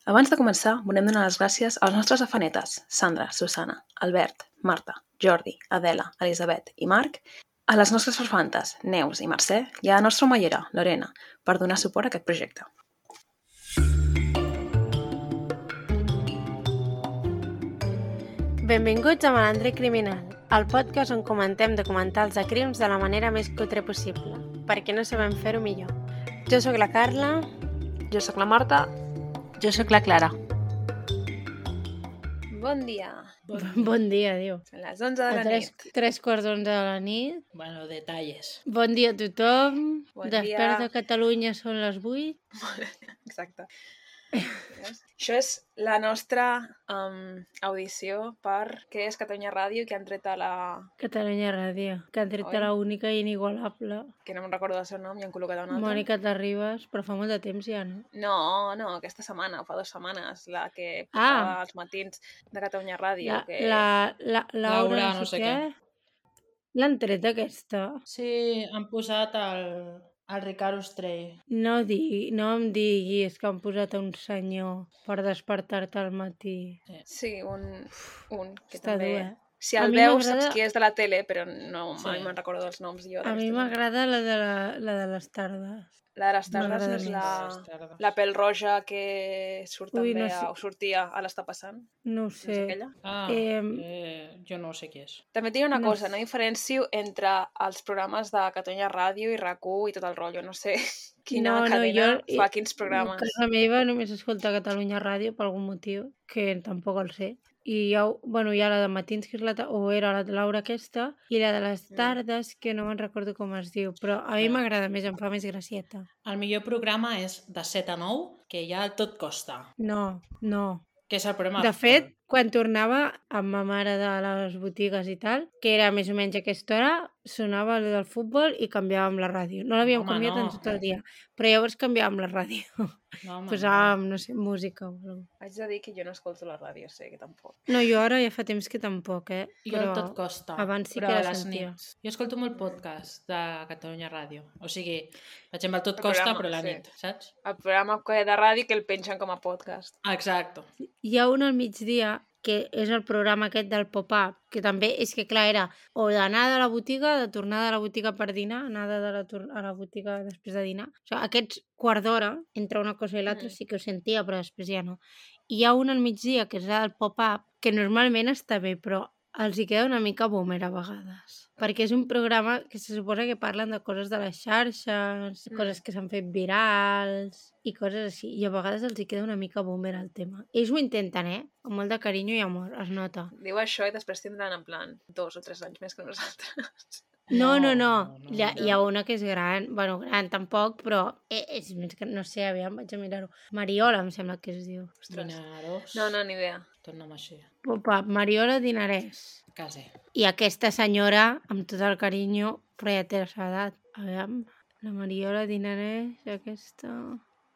Abans de començar, volem donar les gràcies als nostres afanetes, Sandra, Susana, Albert, Marta, Jordi, Adela, Elisabet i Marc, a les nostres farfantes, Neus i Mercè, i a la nostra omellera, Lorena, per donar suport a aquest projecte. Benvinguts a Malandre Criminal, el podcast on comentem documentals de crims de la manera més cutre possible, perquè no sabem fer-ho millor. Jo sóc la Carla. Jo sóc la Marta. Jo sóc la Clara. Bon dia. Bon dia, diu. Són les 11 de la nit. 3:45 de la nit. Bueno, detalles. Bon dia a tothom. Bon Desperts dia. de Catalunya són les 8. Exacte. Això és la nostra audició per què és Catalunya Ràdio, que han tret a la... Catalunya Ràdio, que han tret a la única i inigualable. Que no me'n recordo del seu nom i han col·locat una altra. Mònica Terribas, però fa molt de temps ja, no? No, aquesta setmana, fa 2 setmanes, la que portava als matins de Catalunya Ràdio. Laura no sé què. L'han tret aquesta? Sí, han posat el Ricard Ostrell. No em diguis que han posat un senyor per despertar-te al matí. Sí, un que està també... dur, Si el veus saps qui és de la tele, però no mai me'n recordo dels noms. A mi m'agrada la de les tardes. La de les tardes és la pèl roja que surt també, o sortia a l'Està passant. No ho sé. Jo no sé qui és. També tinc una cosa, no diferencio entre els programes de Catalunya Ràdio i RAC1 i tot el rotllo. No sé quina cadena fa quins programes. A casa meva només escolta Catalunya Ràdio per algun motiu, que tampoc el sé. I hi ha la de matins, que és era la de Laura aquesta, i la de les tardes, que no me'n recordo com es diu, però a mi m'agrada més, em fa més gracieta. El millor programa és de 7 a 9, que hi ha el Tot Costa. No. Que és el programa... De fet, quan tornava amb ma mare de les botigues i tal, que era més o menys a aquesta hora, sonava el del futbol i canviàvem la ràdio. No l'havíem canviat en tot el dia, però llavors canviàvem la ràdio. Posàvem, no sé, música o alguna cosa. Haig de dir que jo no escolto la ràdio, sé que tampoc. No, jo ara ja fa temps que tampoc, Jo el Tot Costa, abans sí però que a la les sentia. nits. Jo escolto molt podcast de Catalunya Ràdio. O sigui, faig amb el Tot Costa, però a la nit, saps? El programa de ràdio que el pengen com a podcast. Exacte. Hi ha un al migdia, que és el programa aquest del pop-up, que també és que, clar, era o d'anar de la botiga, de tornar de la botiga per dinar, anar a la botiga després de dinar. O sigui, aquests quart d'hora, entre una cosa i l'altra, sí que ho sentia, però després ja no. I hi ha un al migdia, que és el pop-up, que normalment està bé, però els hi queda una mica boomer a vegades. Perquè és un programa que se suposa que parlen de coses de les xarxes, coses que s'han fet virals i coses així. I a vegades els hi queda una mica boomer el tema. Ells ho intenten, amb molt de carinyo i amor, es nota. Diu això i després tindran en plan 2 o 3 anys més que nosaltres. No. Hi ha una que és gran. Bueno, gran tampoc, però és més que, no sé, aviam, vaig a mirar-ho. Mariola, em sembla que es diu. Dinaros. No, ni idea. Torna'm així. Opa, Mariola Dinarès. Quasi. I aquesta senyora, amb tot el carinyo, però ja té la seva edat. Aviam, la Mariola Dinarès, aquesta...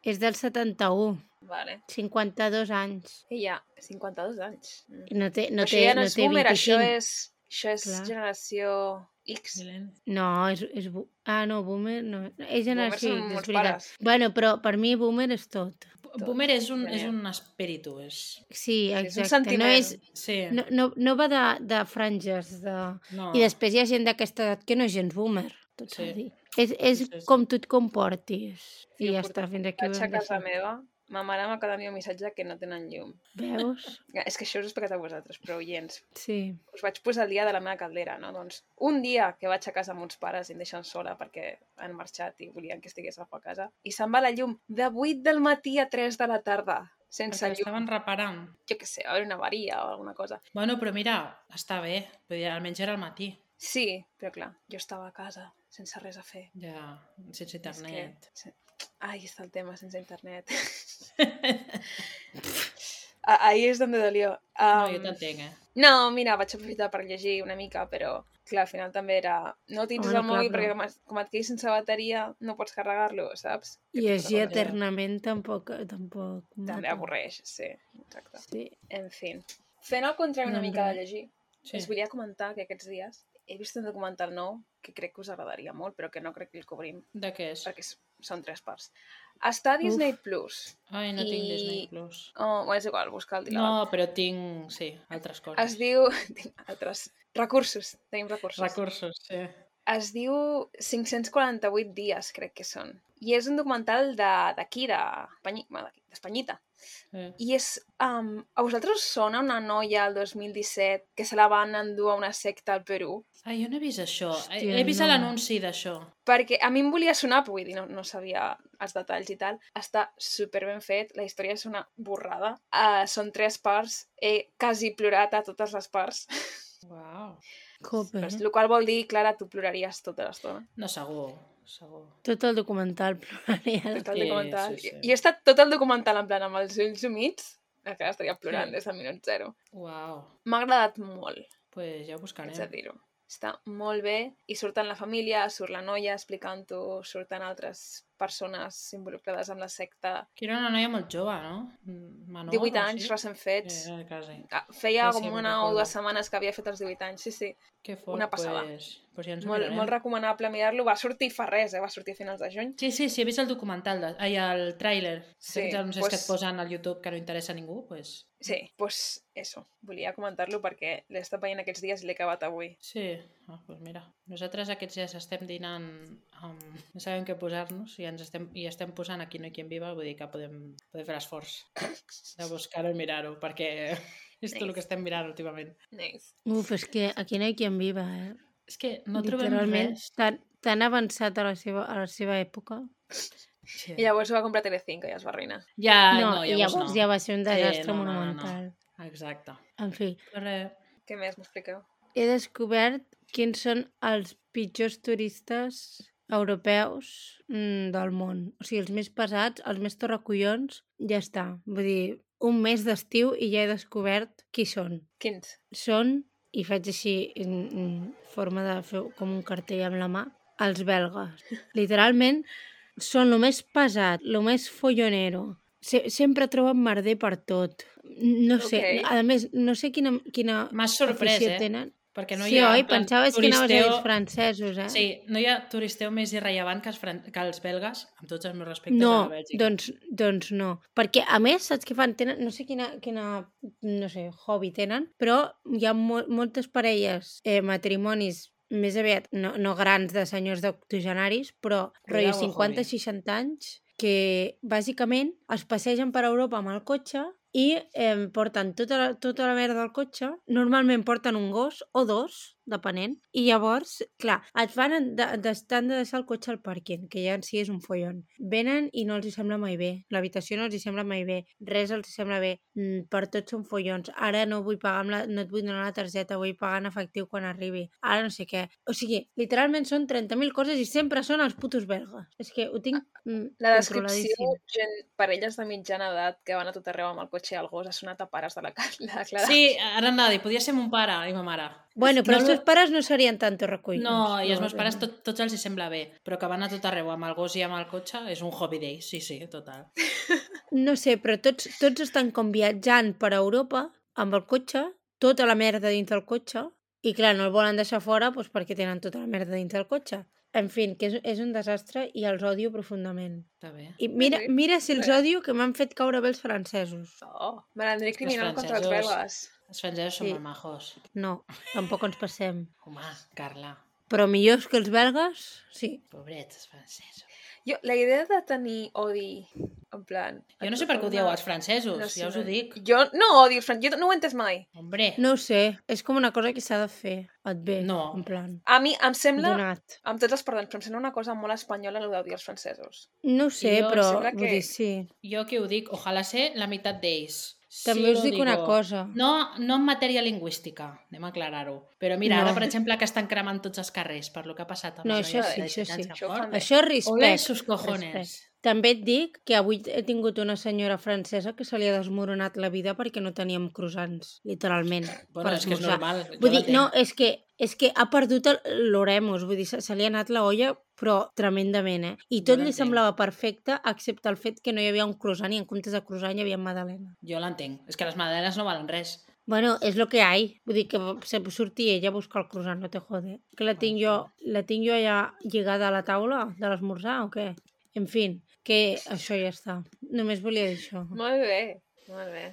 És del 71. Vale. 52 anys. I ja, 52 anys. No té boomer, 25. Això és generació X. No, no, boomer no. És generació X, és veritat. Pares. Bueno, però per mi boomer és tot. Boomer és un espíritu. Sí, exacte. És un sentiment. No va de franges. No. I després hi ha gent d'aquesta edat que no és gens boomer. Tot s'ha dit. És com tu et comportis. I ja està, fins aquí. Vaig a casa meva, ma mare m'acaba d'enviar un missatge que no tenen llum. Veus? És que això us he explicat a vosaltres, però oients. Sí. Us vaig posar el dia de la meva caldera, no? Doncs un dia que vaig a casa amb uns pares i em deixen sola perquè han marxat i volien que estigués a casa, i se'n va la llum de 8 del matí a 3 de la tarda. Sense llum. Estaven reparant. Jo què sé, a veure, una avaria o alguna cosa. Bueno, però mira, està bé. Vull dir, almenys era al matí. Sí, però clar, jo estava a casa, sense res a fer. Ja, sense internet. Ai, està el tema, sense internet. Ahí és on dolió. No, jo t'entenc, No, mira, vaig aprofitar per llegir una mica, però clar, al final també era... No utilitzes el mòbil perquè com et quedis sense bateria no pots carregar-lo, saps? I llegir eternament tampoc... També avorreix, sí. Exacte. Sí. En fi. Fent el contrari una mica de llegir, us volia comentar que aquests dies he vist un documental nou que crec que us agradaria molt, però que no crec que el cobrim. De què és? Perquè és són 3 parts. Està a Disney Plus. Ai, no tinc Disney Plus. Bueno, és igual, busca el dial. No, però tinc, sí, altres coses. Es diu... Tinc altres recursos, tenim recursos. Recursos, sí. Es diu 548 dies, crec que són. I és un documental d'aquí, d'Espanyita. Sí. I és... a vosaltres us sona una noia al 2017 que se la van endur a una secta al Perú? Ai, jo no he vist això. Hòstia, He vist no. l'anunci d'això. Perquè a mi em volia sonar, però vull dir, no sabia els detalls i tal. Està super ben fet, la història és una borrada. Són 3 parts, he quasi plorat a totes les parts. Uau. Cope. El qual vol dir, Clara, tu ploraries tota l'estona. No, segur. Tot el documental ploraria. Tot el documental. sí. I he estat tot el documental en plan amb els ulls humits, que estaria plorant des del minut 0. Uau. M'ha agradat molt, Pues ja ho haig de buscarem. dir-ho. Està molt bé i surten la família, surt la noia explicant-ho, surten altres persones involucrades amb la secta. Que era una noia molt jove, no? Menor, 18 o anys, sí? recent fets. Quasi. Feia Sí, com me'n una o recordo. 2 setmanes que havia fet els 18 anys, sí. Que fort, Una passada. Pues ja ens ho Molt, mirarem. molt recomanable mirar-lo. Va sortir fa res, va sortir a finals de juny. Sí, he vist el documental, el tràiler. Sí, Aquests anuncis pues- que et posen al YouTube que no interessa a ningú, pues... Sí, doncs eso. Volia comentar-lo perquè l'he estat veient aquests dies i l'he acabat avui. Sí, pues mira. Nosaltres aquests dies estem dinant amb... No sabem què posar-nos i estem posant Aquí no hi quien viva, vull dir que podem fer l'esforç de buscar-ho i mirar-ho, perquè és tot el que estem mirant últimament. Nice. És que aquí no hi qui en viva, És que no trobem Literalment, res. tan avançat a la seva època. Sí. I llavors ho va comprar Telecinco i es va arruïnar. Ja, I llavors ja va ser un desastre monumental. Exacte. En fi, Però res, Què més m'expliqueu? he descobert quins són els pitjors turistes europeus del món. O sigui, els més pesats, els més torracollons, ja està. Vull dir, un mes d'estiu i ja he descobert qui són. Quins? Són, i faig així en forma de fer com un cartell amb la mà, els belgues. Literalment, són el més pesat, el més follonero. Sempre troben merder per tot. No sé, Ok. a més, no sé quina m'has sorprès, afició tenen. Perquè no Sí, hi ha... oi? en plan, Pensaves que anaves a dir turisteo- els francesos, eh? Sí, no hi ha turisteu més irrellevant que els belgues, amb tots els meus respectes No, a la Bèlgica. doncs no. Perquè, a més, saps què fan? Tenen, no sé quina no sé, hobby tenen, però hi ha moltes parelles, matrimonis més aviat, no grans de senyors d'octogenaris, però rotllo Cuidao, 50-60 anys, que bàsicament es passegen per Europa amb el cotxe i porten tota la merda del cotxe. Normalment porten un gos o 2, depenent, i llavors, clar, et fan t'han de deixar el cotxe al pàrquing, que ja en si és un follon. Venen i no els hi sembla mai bé. L'habitació no els hi sembla mai bé. Res els hi sembla bé. Per tots són follons. Ara no vull pagar no et vull donar la targeta, vull pagar en efectiu quan arribi. Ara no sé què. O sigui, literalment són 30.000 coses i sempre són els putos belgues. És que ho tinc La descripció, controladíssim. parelles de mitjana edat que van a tot arreu amb el cotxe i el gos, ha sonat a pares de la Clara. Sí, ara anava a dir, podia ser mon pare i ma mare. Bueno, però No, els teus pares no serien tan torracollons. No, i als meus pares tots els hi sembla bé, però que van a tot arreu amb el gos i amb el cotxe és un hobby d'ells, sí, total. No sé, però tots estan com viatjant per Europa amb el cotxe, tota la merda dins del cotxe, i clar, no el volen deixar fora doncs, perquè tenen tota la merda dins del cotxe. En fi, que és un desastre i els odio profundament. Està bé. I mira si els Bé. odio que m'han fet caure bé els francesos. Oh, malandrí criminal contra els francesos- belgues. Els francesos són Sí. molt majos. No, tampoc ens passem. Home, Carla, Però millors que els belgues, sí. pobrets, els francesos. Jo, la idea de tenir odi, en plan... Jo no sé per què ho dieu els francesos, No, ja us ho dic. Jo no odio els francesos, jo no ho he entès mai. Hombre, No ho sé, és com una cosa que s'ha de fer. Et ve, No. en plan, A mi em sembla, donat. amb tots els perdons, però em sembla una cosa molt espanyola el d'odiar els francesos. No ho sé, Jo em però sembla vull que- dir, sí. jo que ho dic, ojalà ser la meitat d'ells. També Sí, us lo dic una digo. cosa. No en matèria lingüística, anem a aclarar-ho. Però mira, No. ara, per exemple, que estan cremant tots els carrers per lo que ha passat amb No, la això noia sí, de això 17 anys sí. que Això ho fort. fan bé. Això és Ole respecte. sus cojones. respecte. També et dic que avui he tingut una senyora francesa que se li ha desmoronat la vida perquè no teníem croissants, literalment. Bueno, per és que és esmorzar. normal. jo Vull dir, l'entenc. no, és que ha perdut l'oremus, vull dir, se li ha anat la olla, però tremendament, eh? I tot li l'entenc. semblava perfecte, excepte el fet que no hi havia un croissant i en comptes de croissant hi havia magdalena. Jo l'entenc. És que les magdalenes no valen res. Bueno, és lo que hay. Vull dir que se surti ella a buscar el croissant, no te jode. Que la tinc jo allà lligada a la taula de l'esmorzar o què? En fi, que això ja està. Només volia dir això. Molt bé, molt bé.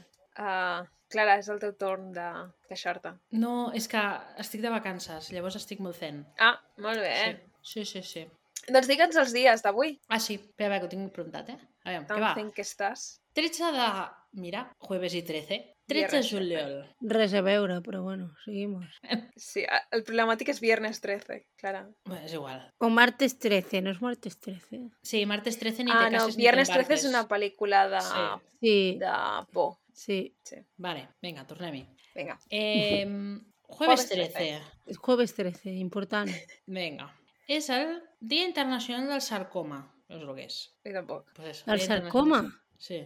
Clara, és el teu torn de queixar-te. No, és que estic de vacances, llavors estic molt zen. Ah, molt bé. Sí. Doncs digue'ns els dies d'avui. Ah, sí, espera, que ho tinc preguntat, A veure, què Tan va? fent que estàs. 13 de... Mira, jueves i 13. 13 de Viernes juliol. Res a veure, però bueno, seguimos. Sí, el problemàtic és viernes 13, Clara. Bé, és igual. O martes 13, no és martes 13? Sí, martes 13 ni te No, cases ni viernes t'embarques. 13 és una pel·lícula de, Sí. de por. Sí. Vale, vinga, tornem-hi. Vinga. Jueves 13. És jueves 13, important. Vinga. És el Dia Internacional del Sarcoma. No és el que és. Jo tampoc. Pues eso, El Dia sarcoma? Internacional- Sí.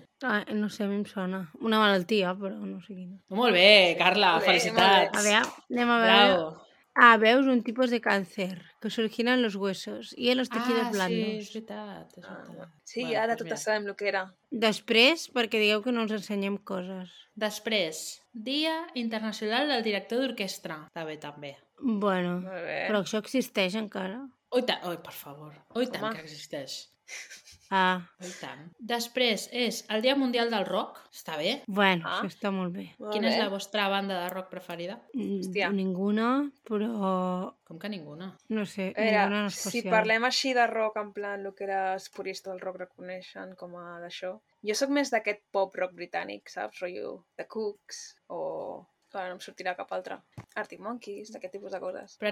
No sé, a mi em sona. Una malaltia, però no sé quina. Molt bé, Carla, Molt bé, felicitats. A ver, anem a veure. Bravo. Veus un tipus de cáncer que se origina en los huesos y en los tejidos Sí, blandos. és veritat. És veritat. Sí, Bueno, ara pues totes mira. sabem el que era. Després, perquè digueu que no ens ensenyem coses. Després, Dia Internacional del Director d'Orquestra. Està bé, també. Bueno, Molt bé. però això existeix encara? Oi, per favor. Oi, tant Home. que existeix. Oi, tant. Després és el Dia Mundial del Rock. Està bé. Bueno, Ah. això està molt bé. Molt Quina és bé. la vostra banda de rock preferida? Hòstia. Ninguna, però Com que ninguna? no sé, A veure, ninguna en si especial. parlem així de rock, en plan, el que era els puristes del rock reconeixen com a d'això. Jo sóc més d'aquest pop rock britànic, saps? Rotllo The Cooks o... Clar, no em sortirà cap altre. Arctic Monkeys, d'aquest tipus de coses. Però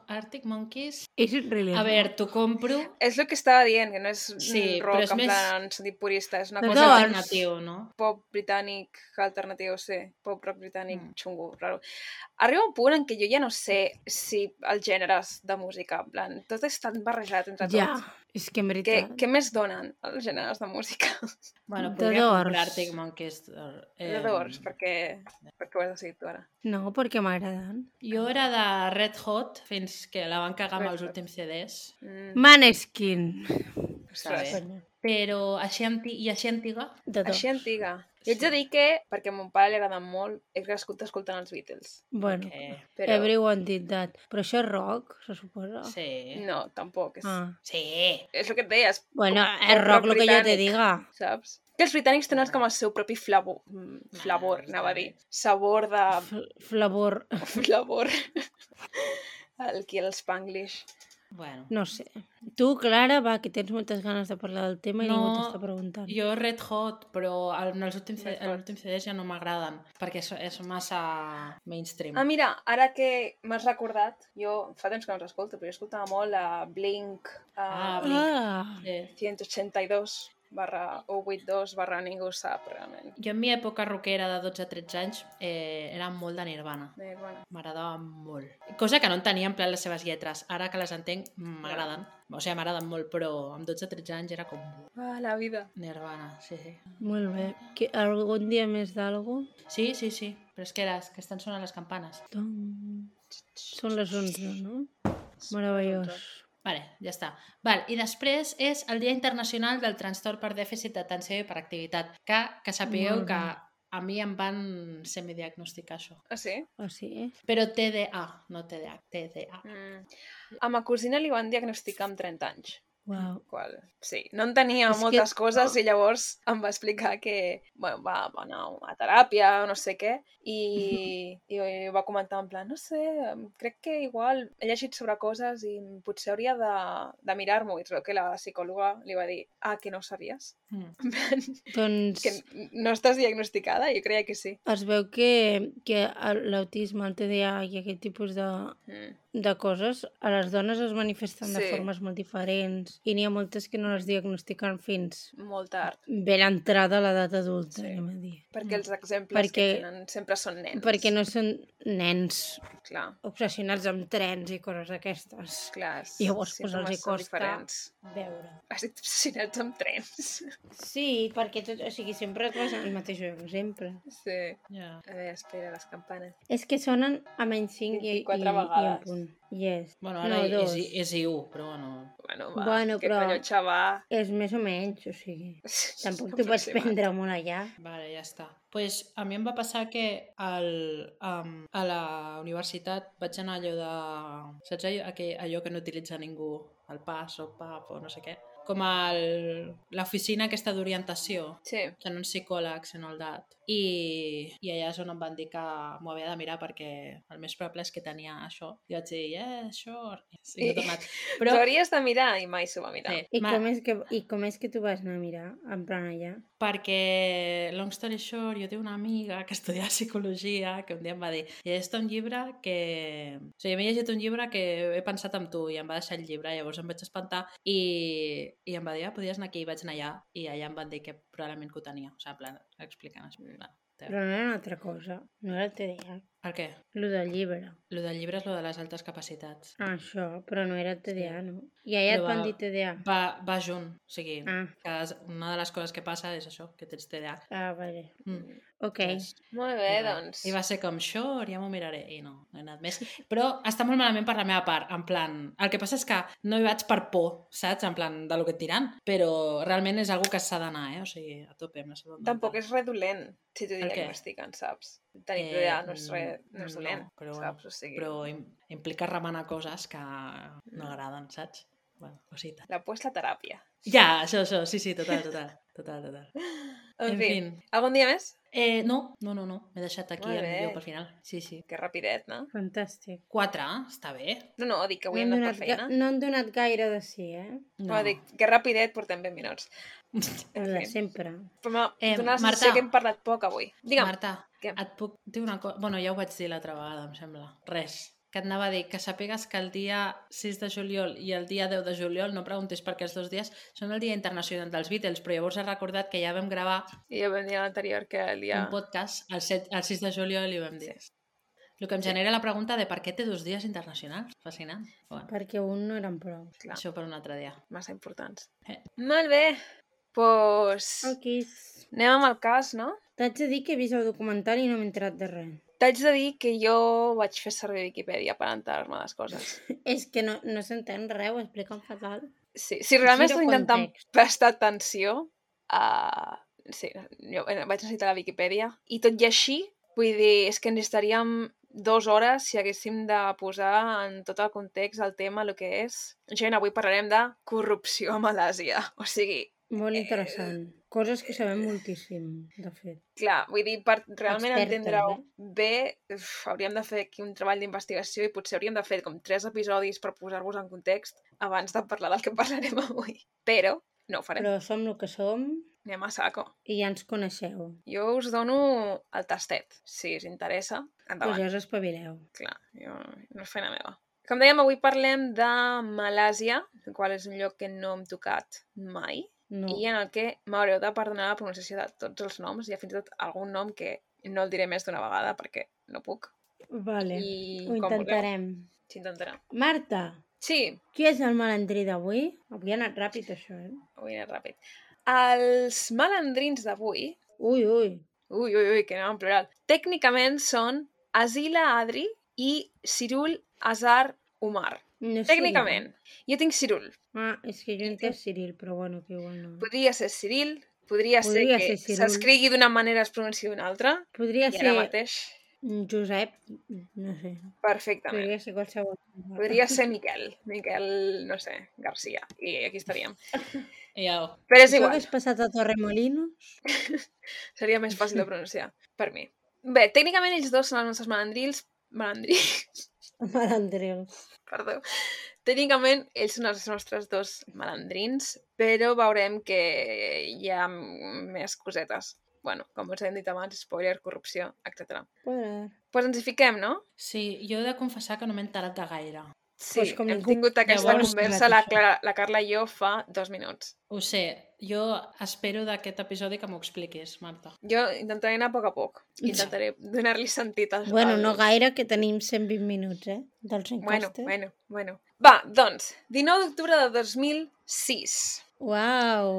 Arctic Monkeys... És really A veure, t'ho compro. És el que estava dient, que no és Sí, rock però és en més- plan en sentit purista, és una Però És cosa doncs- alternatiu, no? pop britànic alternatiu, sí, pop rock britànic xungo, raro. Arriba un punt en què jo ja no sé si els gèneres de música, en plan, tot és tan barrejat entre Ja, tots. és que en veritat... Què més donen els gèneres de música? Bueno, The podria Doors. comprar Arctic Monkeys. The Doors, perquè ho has decidit tu ara. No, perquè m'agraden. Jo era de Red Hot fins que la van cagar amb Red els Hot. últims CDs. Maneskin. Està bé. Ostres. Però així, així antiga... De dos. Així antiga. Jo haig de dir que, perquè a mon pare li agraden molt, he crescut escoltant els Beatles. Bueno, Que... Però everyone did that. Però això és rock, se suposa? Sí. no, tampoc. És, Sí. és el que et deies, Bueno, pop- és pop rock el que jo te britànic. diga. saps? Que els britànics tenen com el seu propi flavor, anava a dir. Sabor de... Flavor, Flavor. Aquí el Spanglish. Bueno. no sé. Tu, Clara, va, que tens moltes ganes de parlar del tema i No, ningú t'està preguntant. Jo Red Hot, però en els últims, Red Hot. els últims CDs ja no m'agraden, perquè és massa mainstream. Ah, mira, ara que m'has recordat, jo fa temps que no els escolto, però jo escoltava molt a Blink, Blink. Ah, Sí. 182 182 ningú ho sap, realment. Jo en mi època rockera de 12-13 anys era molt de Nirvana. Bueno. M'agradava molt. Cosa que no entenia en plan les seves lletres. Ara que les entenc, m'agraden. O sigui, m'agraden molt, però amb 12-13 anys era com Ah, la vida. Nirvana, sí. molt bé. Algun dia més d'algo? Sí, però és que estan sonant les campanes. Són les 11, no? Meravellós. Vale, ja està. Val, i després és el Dia Internacional del Trastorn per Dèficit d'Atenció i Hiperactivitat, que sapigueu Molt bé. que a mi em van semidiagnosticar això. Ah, sí? Ah, sí? Però TDA, no TDA, TDA. A ma cosina li van diagnosticar amb 30 anys. Uau. Sí, no entenia És que- moltes coses i llavors em va explicar que bueno, va anar a teràpia o no sé què i va comentar en plan, no sé, crec que igual he llegit sobre coses i potser hauria de mirar-m'ho i trobo que la psicòloga li va dir, que no ho sabies? Doncs Que no estàs diagnosticada? Jo creia que sí. es veu que l'autisme, el TDA i aquest tipus de coses, a les dones es manifesten de Sí. formes molt diferents i n'hi ha moltes que no les diagnostiquen fins Molt tard. ben entrada a l'edat adulta, Sí. anem a dir. Perquè els exemples que Perquè- tenen sempre són nens. Perquè no són nens Clar, obsessionats amb trens i coses d'aquestes. clar. Llavors, doncs, símptomes els hi són costa diferents. veure. Has dit obsessionats amb trens. Sí, perquè sempre et vas al mateix lloc, sempre. Sí. Ja. A veure, espera, les campanes. És que sonen a menys 5 i 24 en vegades. punt. Yes. Bueno, ara No, és, dos. és I1, però bueno... Bueno, va, Bueno, que però- colló, xavar. És més o menys, o sigui... Tampoc t'ho pots prendre molt allà. Vale, ja està. Pues a mi em va passar que a la universitat vaig anar allò de... Saps allò que no utilitza ningú? El pas o pap o no sé què? com l'oficina aquesta d'orientació, Sí. que no uns psicòlegs en el dat. I allà és on em van dir que m'ho havia de mirar perquè el més probable és que tenia això. I vaig dir, això... I no he tornat. Però... T'ho hauries de mirar i mai s'ho va mirar. Sí. I com és que tu vas anar a mirar, en plan allà? Perquè, long story short, jo tinc una amiga que estudia psicologia que un dia em va dir, llegeix un llibre que... O sigui, m'he llegit un llibre que he pensat en tu i em va deixar el llibre, llavors em vaig espantar i em va dir, podies anar aquí, i vaig anar allà i allà em van dir que probablement que ho tenia, o sigui, en plan, explicant. Però no era una altra cosa, no era el TDA. El què? Lo del llibre. Lo del llibre és lo de les altes capacitats. Això, però no era el TDA, no? I allà et van dir TDA? Va junt, o sigui, que una de les coses que passa és això, que tens TDA. Ah, vale. Ok. Molt bé, doncs. I va ser com, ja m'ho miraré. I no he anat més. Però està molt malament per la meva part, en plan... El que passa és que no hi vaig per por, saps? En plan, de lo que et diran. Però realment és algo que s'ha d'anar, O sigui, a tope amb la salut mental. Tampoc és redolent, si t'ho diagnostiquen, saps? Tenir TDA no és dolent, saps? O sigui... Però implica remenar coses que no agraden, saps? Bueno, cosita. La puesta teràpia. Ja, això, sí, total. En fi, algun dia més? No. M'he deixat aquí el millor pel final. Sí. Que rapidet, no? Fantàstic. 4, està bé. No, dic que avui hem anat per feina. No han donat gaire de sí, No, dic que rapidet portem 20 minuts. De sempre. Però dona la sensació que hem parlat poc avui. Digue'm. Marta, et puc dir una cosa? Bueno, ja ho vaig dir l'altra vegada, em sembla. Res. Que et anava a dir que sàpigues que el dia 6 de juliol i el dia 10 de juliol, no preguntis per què els 2 dies, són el Dia Internacional dels Beatles, però llavors he recordat que ja vam gravar ja vam dir l'anterior que el dia... un podcast el 6 de juliol i ho vam dir. Sí. El que em genera la pregunta de per què té 2 dies internacionals. Fascinant. Bueno. Perquè un no eren prou. Clar. Això per un altre dia. Massa importants. Molt bé. Pues... Anem amb el cas, no? T'haig de dir que he vist el documental i no m'he enterat de res. T'haig de dir que jo vaig fer servir Wikipedia per enterar-me les coses. És que no s'entén res, ho expliquen fatal. Sí, si realment estic intentant prestar atenció a... Sí, jo vaig necessitar la Wikipedia. I tot i així, vull dir, és que necessitaríem 2 hores si haguéssim de posar en tot el context el tema, el que és. Gent, avui parlarem de corrupció a Malàsia. O sigui... Molt interessant. Coses que sabem moltíssim, de fet. Clar, vull dir, per realment entendre-ho bé, hauríem de fer aquí un treball d'investigació i potser hauríem de fer com 3 episodis per posar-vos en context abans de parlar del que parlarem avui. Però no ho farem. Però som el que som. Anem a saco. I ja ens coneixeu. Jo us dono el tastet. Si us interessa, endavant. Pues ja us espavileu. Clar, no és feina meva. Com dèiem, avui parlem de Malàsia, el qual és un lloc que no hem tocat mai. No. I en el que m'haureu de perdonar la pronunciació de tots els noms. Hi ha fins i tot algun nom que no el diré més d'una vegada perquè no puc. Vale, ho intentarem. Sí, intentarem. Marta! Sí? Qui és el malandrí d'avui? Avui ha anat ràpid, això, Avui ha anat ràpid. Els malandrins d'avui... Ui, que anem en plural. Tècnicament són Azila Adri i Cirul Azar Umar. No tècnicament. Jo tinc Cirul. És que jo entenc Ciril, però bueno, que igual no. Podria ser Ciril, podria ser que s'escrigui d'una manera i es pronunciï d'una altra. Podria ser mateix... Josep, no sé. Perfectament. Podria ser qualsevol. Podria ser Miquel, no sé, Garcia. I aquí estaríem. Però és igual. Això hagués passat a Torremolinos? Seria més fàcil de pronunciar, per mi. Bé, tècnicament ells dos són els nostres malandrils. Malandrils. Perdó. Tècnicament, ells són els nostres 2 malandrins, però veurem que hi ha més cosetes. Bueno, com us hem dit abans, spoiler, corrupció, etc. Pues ens hi fiquem, no? Sí, jo he de confessar que no m'he enterat de gaire. Sí, hem tingut aquesta conversa, la Carla i jo, fa 2 minuts. Ho sé, jo espero d'aquest episodi que m'ho expliquis, Marta. Jo intentaré anar a poc. Intentaré donar-li sentit als... Bueno, no gaire, que tenim 120 minuts, dels encastes. Bueno. Va, doncs, 19 d'octubre de 2006. Uau!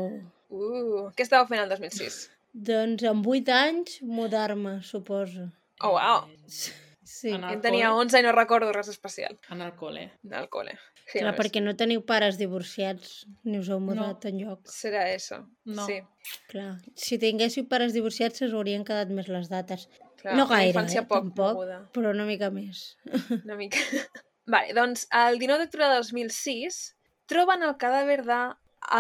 Què estàveu fent el 2006? Doncs amb 8 anys, mudar-me, suposo. Oh, uau! Sí. Jo tenia 11 i no recordo res especial. En el col·le. Sí, clar, perquè no teniu pares divorciats, ni us heu mudat enlloc. Serà això. No. Sí. Clar, si tinguéssiu pares divorciats us haurien quedat més les dates. Clar, no gaire, tampoc, però una mica més. Una mica. Vale, doncs el 19 d'octubre de 2006 troben el cadàver de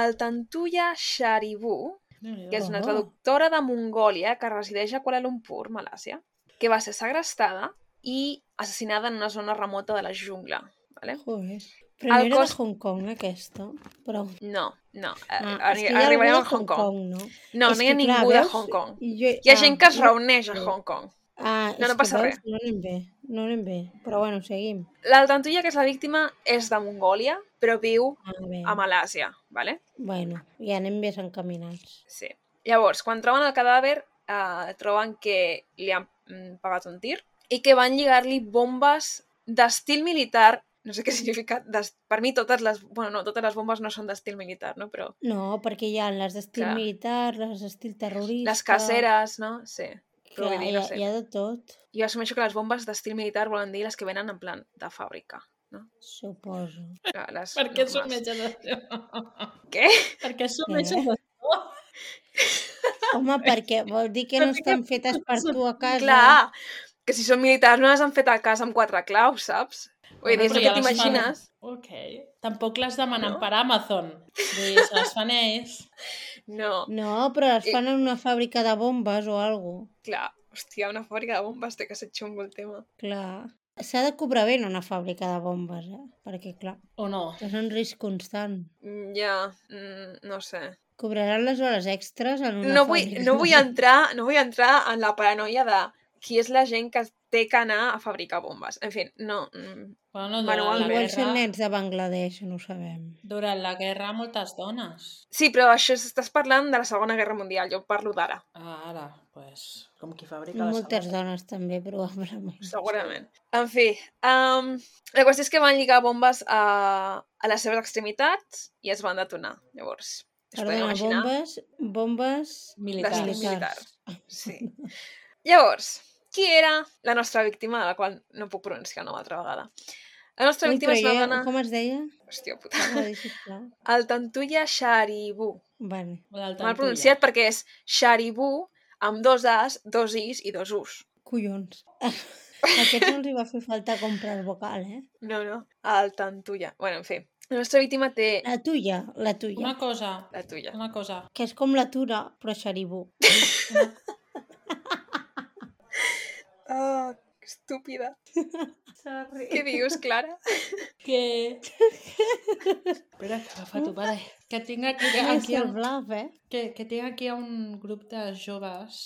el Tantuya Sharibu, que és una Oh. traductora de Mongòlia que resideix a Kuala Lumpur, Malàsia, que va ser segrestada i assassinada en una zona remota de la jungla. Vale? Joder. Però no El era cos- de Hong Kong, aquesta? Però... No. és que hi ha algú Arribarem de a Hong Kong. no? No, És no hi ha que, clar, ningú de veus? Hong Kong. Jo... Hi ha gent que es no reuneix a bé. Hong Kong. No no passa veus? res. No anem bé. Però bueno, seguim. La Tantuya, que és la víctima, és de Mongòlia, però viu Bé. a Malàsia. Vale? Bueno, ja anem més encaminats. Sí. Llavors, quan troben el cadàver, troben que li han pagat un tir i que van lligar-li bombes d'estil militar. No sé què significa. Per mi totes les bombes no són d'estil militar, no? Però No, perquè hi ha les d'estil Clar. militar, les d'estil terrorista... les caseres, no? Sí. Però Clar, vull dir, no sé. hi ha de tot, Jo assumeixo que les bombes d'estil militar volen dir les que venen en plan de fàbrica, no? suposo. Les Per què normals. assumeixes això? Què? Per què assumeixes això? Home, perquè vol dir que no estan fetes per tu a casa. Clar, que si són militars no les han fet a casa amb 4 claus, saps? Vull dir, és Però el ja que les fan. t'imagines. Ok. Tampoc les demanen No? per Amazon. Vull dir, se les fan ells. No, No, però les fan en una fàbrica de bombes o alguna cosa. clar. Hòstia, una fàbrica de bombes té que ser xungo el tema. Clar. S'ha de cobrar bé en una fàbrica de bombes, perquè, clar, O no? és un risc constant. Ja, no sé. Cobraran les hores extres en una No fàbrica. vull entrar en la paranoia de qui és la gent que té que anar a fabricar bombes. En fi, no. Bueno, Manualment. Igual són nens de Bangladesh, no ho sabem. Durant la guerra, moltes dones. Sí, però això estàs parlant de la Segona Guerra Mundial. Jo parlo d'ara, Ara, pues, com qui fabrica la Moltes sabata. dones també, probablement. segurament. En fi, la qüestió és que van lligar bombes a les seves extremitats i es van detonar. Llavors, es podeu Perdona, imaginar bombes Militars. d'estil militar. Sí. Llavors, qui era la nostra víctima, de la qual no puc pronunciar una altra vegada? La nostra Ui, víctima però és una dona... com es deia? Hòstia puta. Torna-ho a dir, sisplau. El Tantuya Sharibu. Vale. Mal pronunciat perquè és Sharibu amb 2 As, 2 Is i 2 Us. Collons. Aquests no els hi va fer falta comprar el vocal, No, el Tantuya. Bueno, en fi. La nostra víctima té... La tuya. Una cosa, La tuya. Que és com la tura, però xaribú. Oh, que estúpida. Sorry. Què dius, Clara? Que... Espera, que agafat-ho, vale. Que tinc aquí, És el bluff, que tinc aquí un grup de joves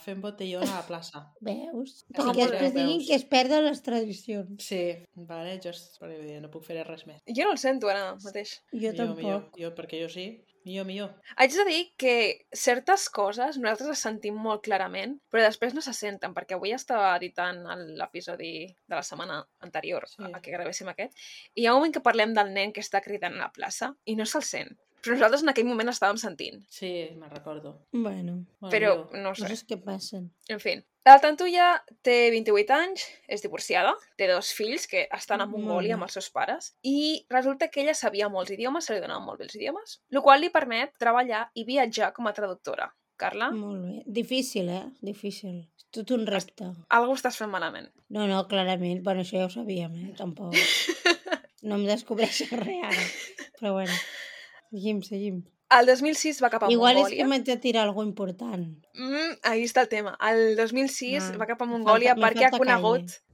fent botellón a la plaça. Veus? Com Perquè podeu després diguin veus? que es perden les tradicions. Sí, vale, no puc fer res més. Jo no el sento ara mateix. Jo tampoc. Jo, perquè jo sí. Millor. Haig de dir que certes coses nosaltres les sentim molt clarament, però després no se senten, perquè avui estava editant l'episodi de la setmana anterior a que gravéssim aquest, i hi ha un moment que parlem del nen que està cridant a la plaça i no se'l sent. Però nosaltres en aquell moment estàvem sentint. Sí, me'n recordo. Bueno, Però no sé. coses que passen. En fi. La Tantuya té 28 anys, és divorciada, té 2 fills que estan a Mongòlia amb els seus pares i resulta que ella sabia molts idiomes, se li donaven molt bé els idiomes, el qual li permet treballar i viatjar com a traductora. Carla? Molt bé. Difícil, Difícil. És tot un repte. Algú estàs fent malament. No, clarament. Bueno, això ja ho sabíem, Tampoc. No em descobreixes res ara. Però bueno, seguim. El 2006 va cap a Igual Mongòlia. és que m'haig de tirar alguna important. Ahí està el tema. El 2006 va cap a me Mongòlia falta perquè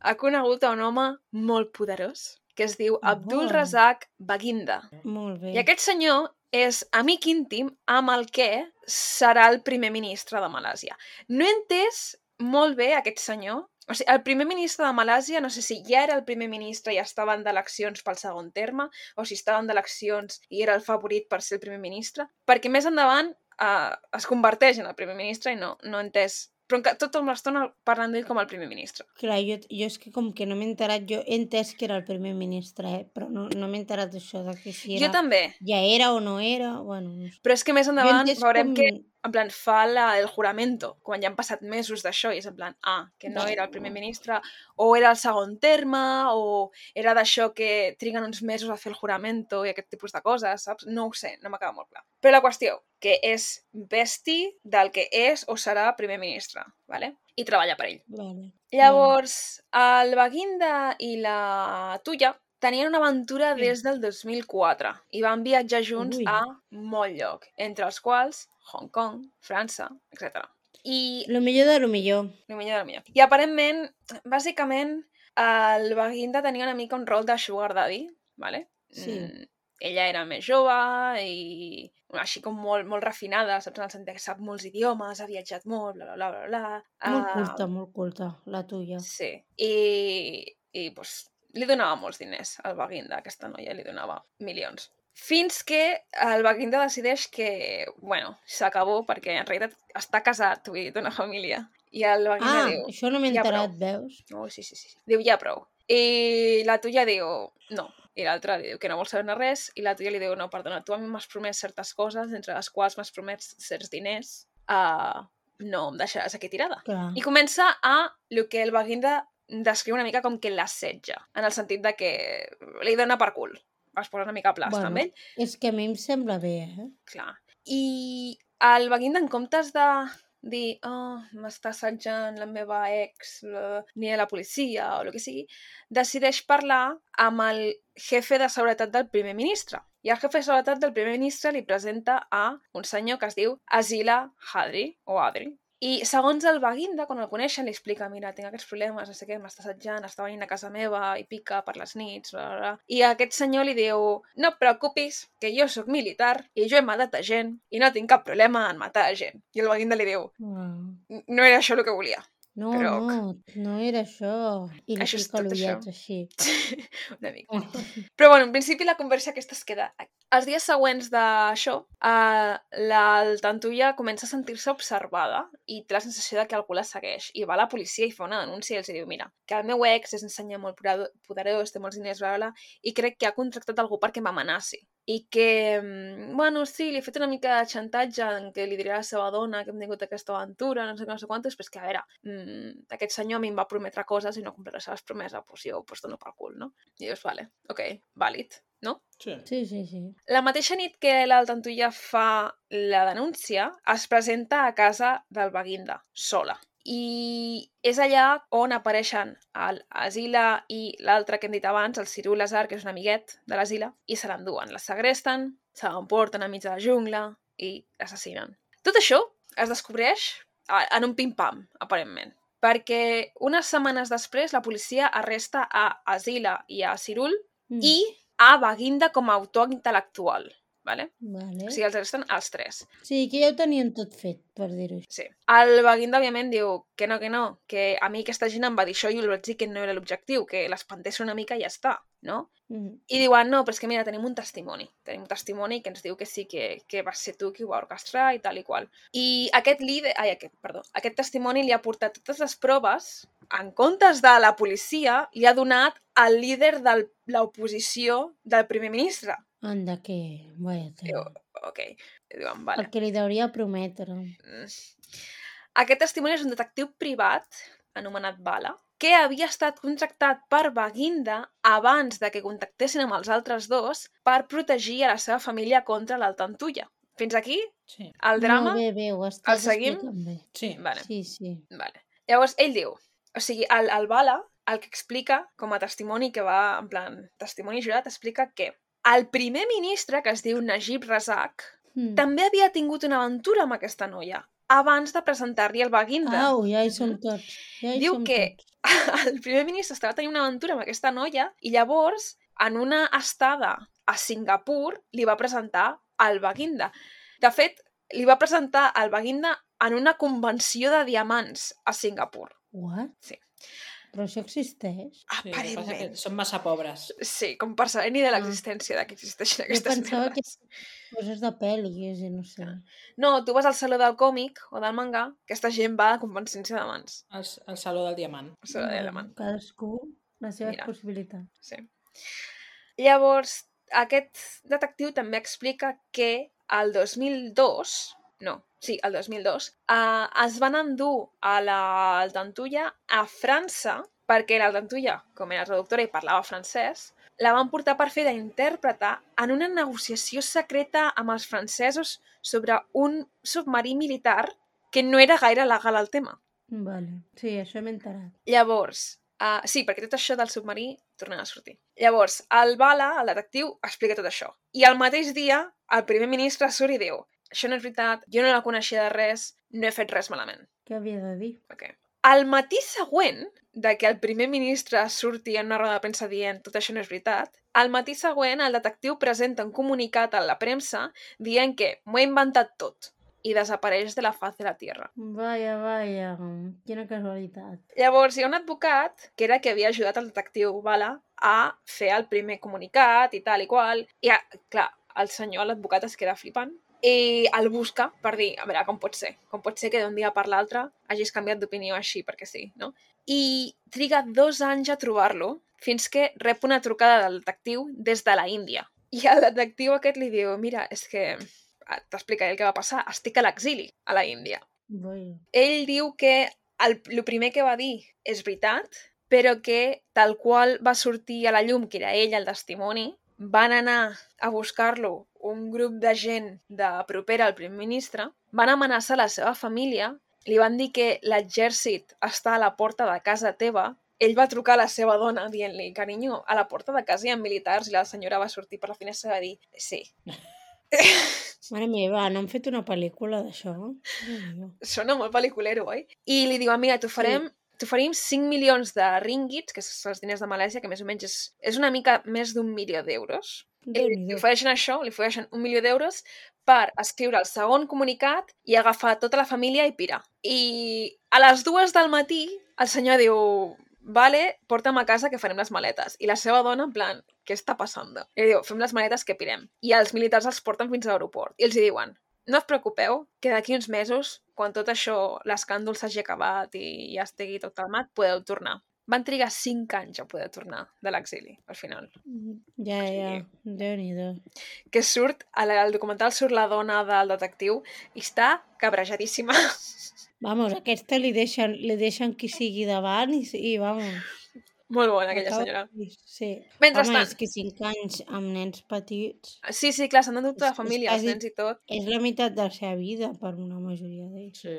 ha conegut a un home molt poderós que es diu Abdul Razak Baginda. Molt bé. I aquest senyor és amic íntim amb el que serà el primer ministre de Malàsia. No he entès molt bé aquest senyor. O sigui, el primer ministre de Malàsia, no sé si ja era el primer ministre i estaven d'eleccions pel segon terme, o si estaven d'eleccions i era el favorit per ser el primer ministre, perquè més endavant es converteix en el primer ministre i no he entès. Però tota l'estona parlant d'ell com el primer ministre. Clar, jo és que com que no m'he enterat, jo he entès que era el primer ministre, però no m'he enterat d'això, de que si era... Jo també. Ja era o no era, bueno, no sé. Però és que més endavant veurem que com en plan, fa el juramento, quan ja han passat mesos d'això, i és en plan, que no era el primer ministre, o era el segon terme, o era d'això que triguen uns mesos a fer el juramento i aquest tipus de coses, saps? No ho sé, no m'acaba molt clar. Però la qüestió, que és besti del que és o serà primer ministre, ¿vale? I treballa per ell. Vale. Llavors, el Baginda i la Tuya tenien una aventura Sí. des del 2004 i van viatjar junts Ui. a molt lloc, entre els quals Hong Kong, França, etc. I Lo millor de lo millor. el millor del millor. I aparentment, bàsicament, el Baginda tenia una mica un rol de sugar daddy, ¿vale? Sí. Ella era més jove i així com molt refinada, saps? En el sentit que sap molts idiomes, ha viatjat molt, bla, bla, bla, bla, bla. Molt culta, la tuya. Sí. I pues, li donava molts diners al Baginda, aquesta noia li donava milions. Fins que el Baginda decideix que, bueno, s'acabó perquè en realitat està casat, vull dir, té una família. I el Baginda diu... Això no m'he ja enterat, prou. veus? Oh, sí. Diu, ja prou. I la tuya diu, no. I l'altra li diu que no vol saber res. I la tuya li diu, no, perdona, tu a mi m'has promès certes coses, entre les quals m'has promès certs diners. No em deixaràs aquí tirada. Clar. I comença el que el Baginda descriu una mica com que l'assetja, en el sentit de que li dona per cul. Es posa una mica a plasta amb ell. És que a mi em sembla bé, Clar. I el Baginda, en comptes de dir, m'està assetjant la meva ex, ni a la policia o el que sigui, decideix parlar amb el jefe de seguretat del primer ministre. I el jefe de seguretat del primer ministre li presenta a un senyor que es diu Azila Hadri, o Adri. I segons el Baginda, quan el coneixen, li explica, mira, tinc aquests problemes, no sé què, m'està assetjant, està venint a casa meva i pica per les nits, bla, bla, bla. I aquest senyor li diu, no et preocupis, que jo sóc militar i jo he matat a gent i no tinc cap problema en matar a gent. I el Baginda li diu, no era això el que volia. No, Però... no era això. I li Això és fica tot l'ullet això. així. Una mica. Però bueno, en principi la conversa aquesta es queda aquí. Els dies següents d'això, el Tantuya comença a sentir-se observada i té la sensació de que algú la segueix. I va a la policia i fa una denúncia i els diu, mira, que el meu ex és un senyor molt poderós, té molts diners, bla, bla, bla, i crec que ha contractat algú perquè m'amenaci. I que, bueno, sí, li he fet una mica de xantatge en què li diré a la seva dona que hem tingut aquesta aventura, no sé què, no sé quantos, però és que, a veure, aquest senyor a mi em va prometre coses i no complirà les seves promeses, doncs jo pues dono pel cul, no? I dius, vale, ok, vàlid, no? Sí. La mateixa nit que l'Altantuya fa la denúncia, es presenta a casa del Baginda, sola. I és allà on apareixen l'Azila i l'altre que hem dit abans, el Cirul Lazar, que és un amiguet de l'Azila, i se l'enduen. La segresten, se l'emporten a mig de la jungla i l'assassinen. Tot això es descobreix en un pim-pam, aparentment. Perquè unes setmanes després la policia arresta a Azila i a Cirul i a Baginda com a autor intel·lectual. Vale? O sigui, els arresten els tres. Sí, que ja ho tenien tot fet, per dir-ho així. Sí. El Baginda, òbviament, diu que no, que a mi aquesta gent em va dir això i jo li vaig dir que no era l'objectiu, que l'espantés una mica i ja està, no? I diuen, no, però és que mira, tenim un testimoni. Tenim un testimoni que ens diu que sí, que vas ser tu qui ho va orquestrar i tal i qual. I aquest testimoni li ha portat totes les proves, en comptes de la policia, li ha donat al líder de l'oposició del primer ministre. Anda, que... Vaya Diu, ok. Diuen, vale. El que li deuria prometre. Aquest testimoni és un detectiu privat, anomenat Bala, que havia estat contractat per Baginda abans de que contactessin amb els altres dos per protegir a la seva família contra l'Altantuya. Fins aquí, sí. El drama, no, bé, ho estàs seguim? Bé. Sí. Vale. Sí. Vale. Llavors, ell diu, o sigui, el Bala, el que explica, com a testimoni que va, en plan, testimoni jurat, explica que el primer ministre, que es diu Najib Razak, també havia tingut una aventura amb aquesta noia, abans de presentar-li el Baginda. Au, ja hi som tots. Diu que el primer ministre estava tenint una aventura amb aquesta noia i llavors, en una estada a Singapur, li va presentar el Baginda. De fet, li va presentar el Baginda en una convenció de diamants a Singapur. What? Sí. Però això existeix? Aparentment. Són massa pobres. Sí, com per saber ni de l'existència de que existeixen aquestes merdes. Jo pensava que coses de pel·lis i no sé. No, tu vas al saló del còmic o del manga, aquesta gent va a convencions de diamants. El saló del diamant. El saló del diamant. Cadascú les seves possibilitats. Sí. Llavors, aquest detectiu també explica que el 2002... el 2002, es van endur a l'Altantuya a França perquè l'Altantuya, com era traductora i parlava francès, la van portar per fer d'intèrpreta en una negociació secreta amb els francesos sobre un submarí militar que no era gaire legal el tema. Vale. Sí, això m'he enterat. Llavors, Sí, perquè tot això del submarí tornarà a sortir. Llavors, el Bala, el detectiu, explica tot això. I al mateix dia, el primer ministre surt i diu: això no és veritat, jo no la coneixia de res, no he fet res malament. Què havia de dir? Okay. Al matí següent de que el primer ministre surti en una roda de premsa dient tot això no és veritat, al matí següent el detectiu presenta un comunicat a la premsa dient que m'ho he inventat tot i desapareix de la faz de la Tierra. Vaya, quina casualitat. Llavors hi ha un advocat que era que havia ajudat el detectiu Bala a fer el primer comunicat i tal i qual. I, clar, el senyor, l'advocat, es queda flipant i el busca per dir, a veure, com pot ser? Com pot ser que d'un dia per l'altre hagis canviat d'opinió així, perquè sí, no? I triga 2 anys a trobar-lo fins que rep una trucada del detectiu des de la Índia. I el detectiu aquest li diu: mira, és que t'explicaré el que va passar, estic a l'exili a la Índia. Ell diu que el primer que va dir és veritat, però que tal qual va sortir a la llum, que era ell el testimoni, van anar a buscar-lo un grup de gent de propera al primer ministre, van amenaçar la seva família, li van dir que l'exèrcit està a la porta de casa teva, ell va trucar a la seva dona dient-li: carinyo, a la porta de casa hi ha militars, i la senyora va sortir per la finestra i va dir: sí. Mare meva, no han fet una pel·lícula d'això? Sona molt pel·liculero, oi? I li diu: mira, t'oferim 5 milions de ringgits, que són els diners de Malàisia, que més o menys és una mica més d'1 milió d'euros. I li ofereixen això, li ofereixen 1 milió d'euros per escriure el segon comunicat i agafar tota la família i pirar. I a les 2 del matí el senyor diu: vale, porta'm a casa que farem les maletes. I la seva dona, en plan, què està passant? I diu: fem les maletes que pirem. I els militars els porten fins a l'aeroport. I els diuen: no us preocupeu, que d'aquí uns mesos, quan tot això, l'escàndol s'hagi acabat i ja estigui tot calmat, podeu tornar. Van trigar 5 anys a poder tornar de l'exili, al final. Ja, Déu-n'hi-do. Que surt, al documental surt la dona del detectiu i està cabrejadíssima. Vamos, aquesta li deixen qui sigui davant i vamos... Molt bona, aquella senyora. Sí. Mentrestant... Home, és que 5 anys amb nens petits... Sí, clar, s'han endut tota la família, els nens i tot. És la meitat de la seva vida per una majoria d'ells. Sí.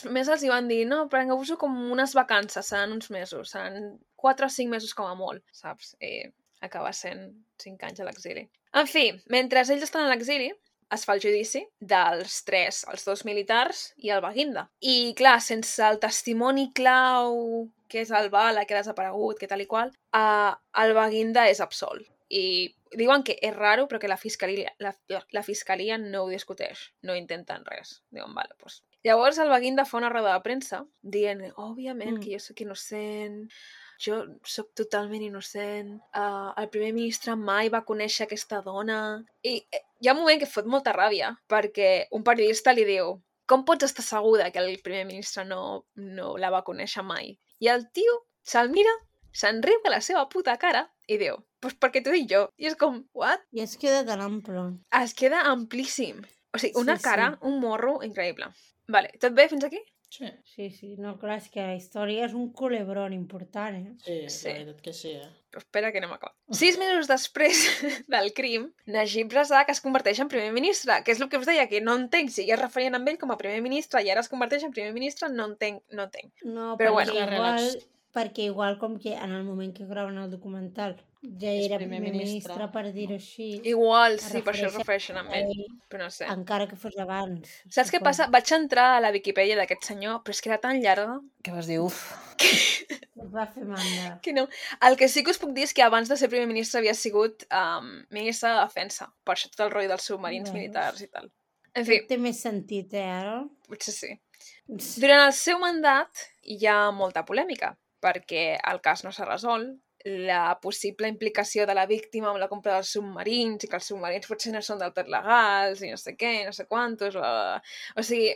Més els hi van dir: no, prengueu-vos com unes vacances, seran uns mesos, seran 4 o 5 mesos com a molt, saps? I acaba sent 5 anys a l'exili. En fi, mentre ells estan a l'exili, es fa el judici dels 3, els 2 militars i el Baguinda. I, clar, sense el testimoni clau, que és el Bala, que ha desaparegut, que tal i qual, el Baguinda és absolt. I diuen que és raro, però que la fiscalia no ho discuteix, no intenten res. Diuen, vale, doncs... Llavors el Baguinda fa una roda de premsa dient: òbviament que jo sóc innocent, jo sóc totalment innocent, el primer ministre mai va conèixer aquesta dona... I hi ha un moment que fot molta ràbia, perquè un periodista li diu: com pots estar segura que el primer ministre no la va conèixer mai? I el tio se'l mira, se'n riu a la seva puta cara i diu: pues perquè t'ho dic jo. I és com, what? I es queda tan ample. Es queda amplíssim. O sigui, una cara, un morro increïble. Vale, tot bé fins aquí? Sí. No, clar, és que la història és un culebrón important, Sí, la veritat que sí, Però espera que anem a acabar. 6 mesos després del crim, Najib Razak es converteix en primer ministre, que és el que us deia, que no entenc si ja es referien amb ell com a primer ministre i ara es converteix en primer ministre, no entenc. No, però perquè igual com que en el moment que graven el documental ja era primer ministre, per dir-ho així. Igual, sí, per això es refereixen amb ell, però no sé. Encara que fos abans. Saps què passa? Vaig entrar a la Viquipèdia d'aquest senyor, però és que era tan llarga que vas dir, uf. Et va fer mandra. Que no. El que sí que us puc dir és que abans de ser primer ministre havia sigut ministre de Defensa, per això tot el rotllo dels submarins militars i tal. En fi. Té més sentit, ara? Potser sí. Durant el seu mandat hi ha molta polèmica, perquè el cas no s'ha resolt, la possible implicació de la víctima amb la compra dels submarins i que els submarins potser no són del tot legals i no sé què, no sé quantos, o sigui,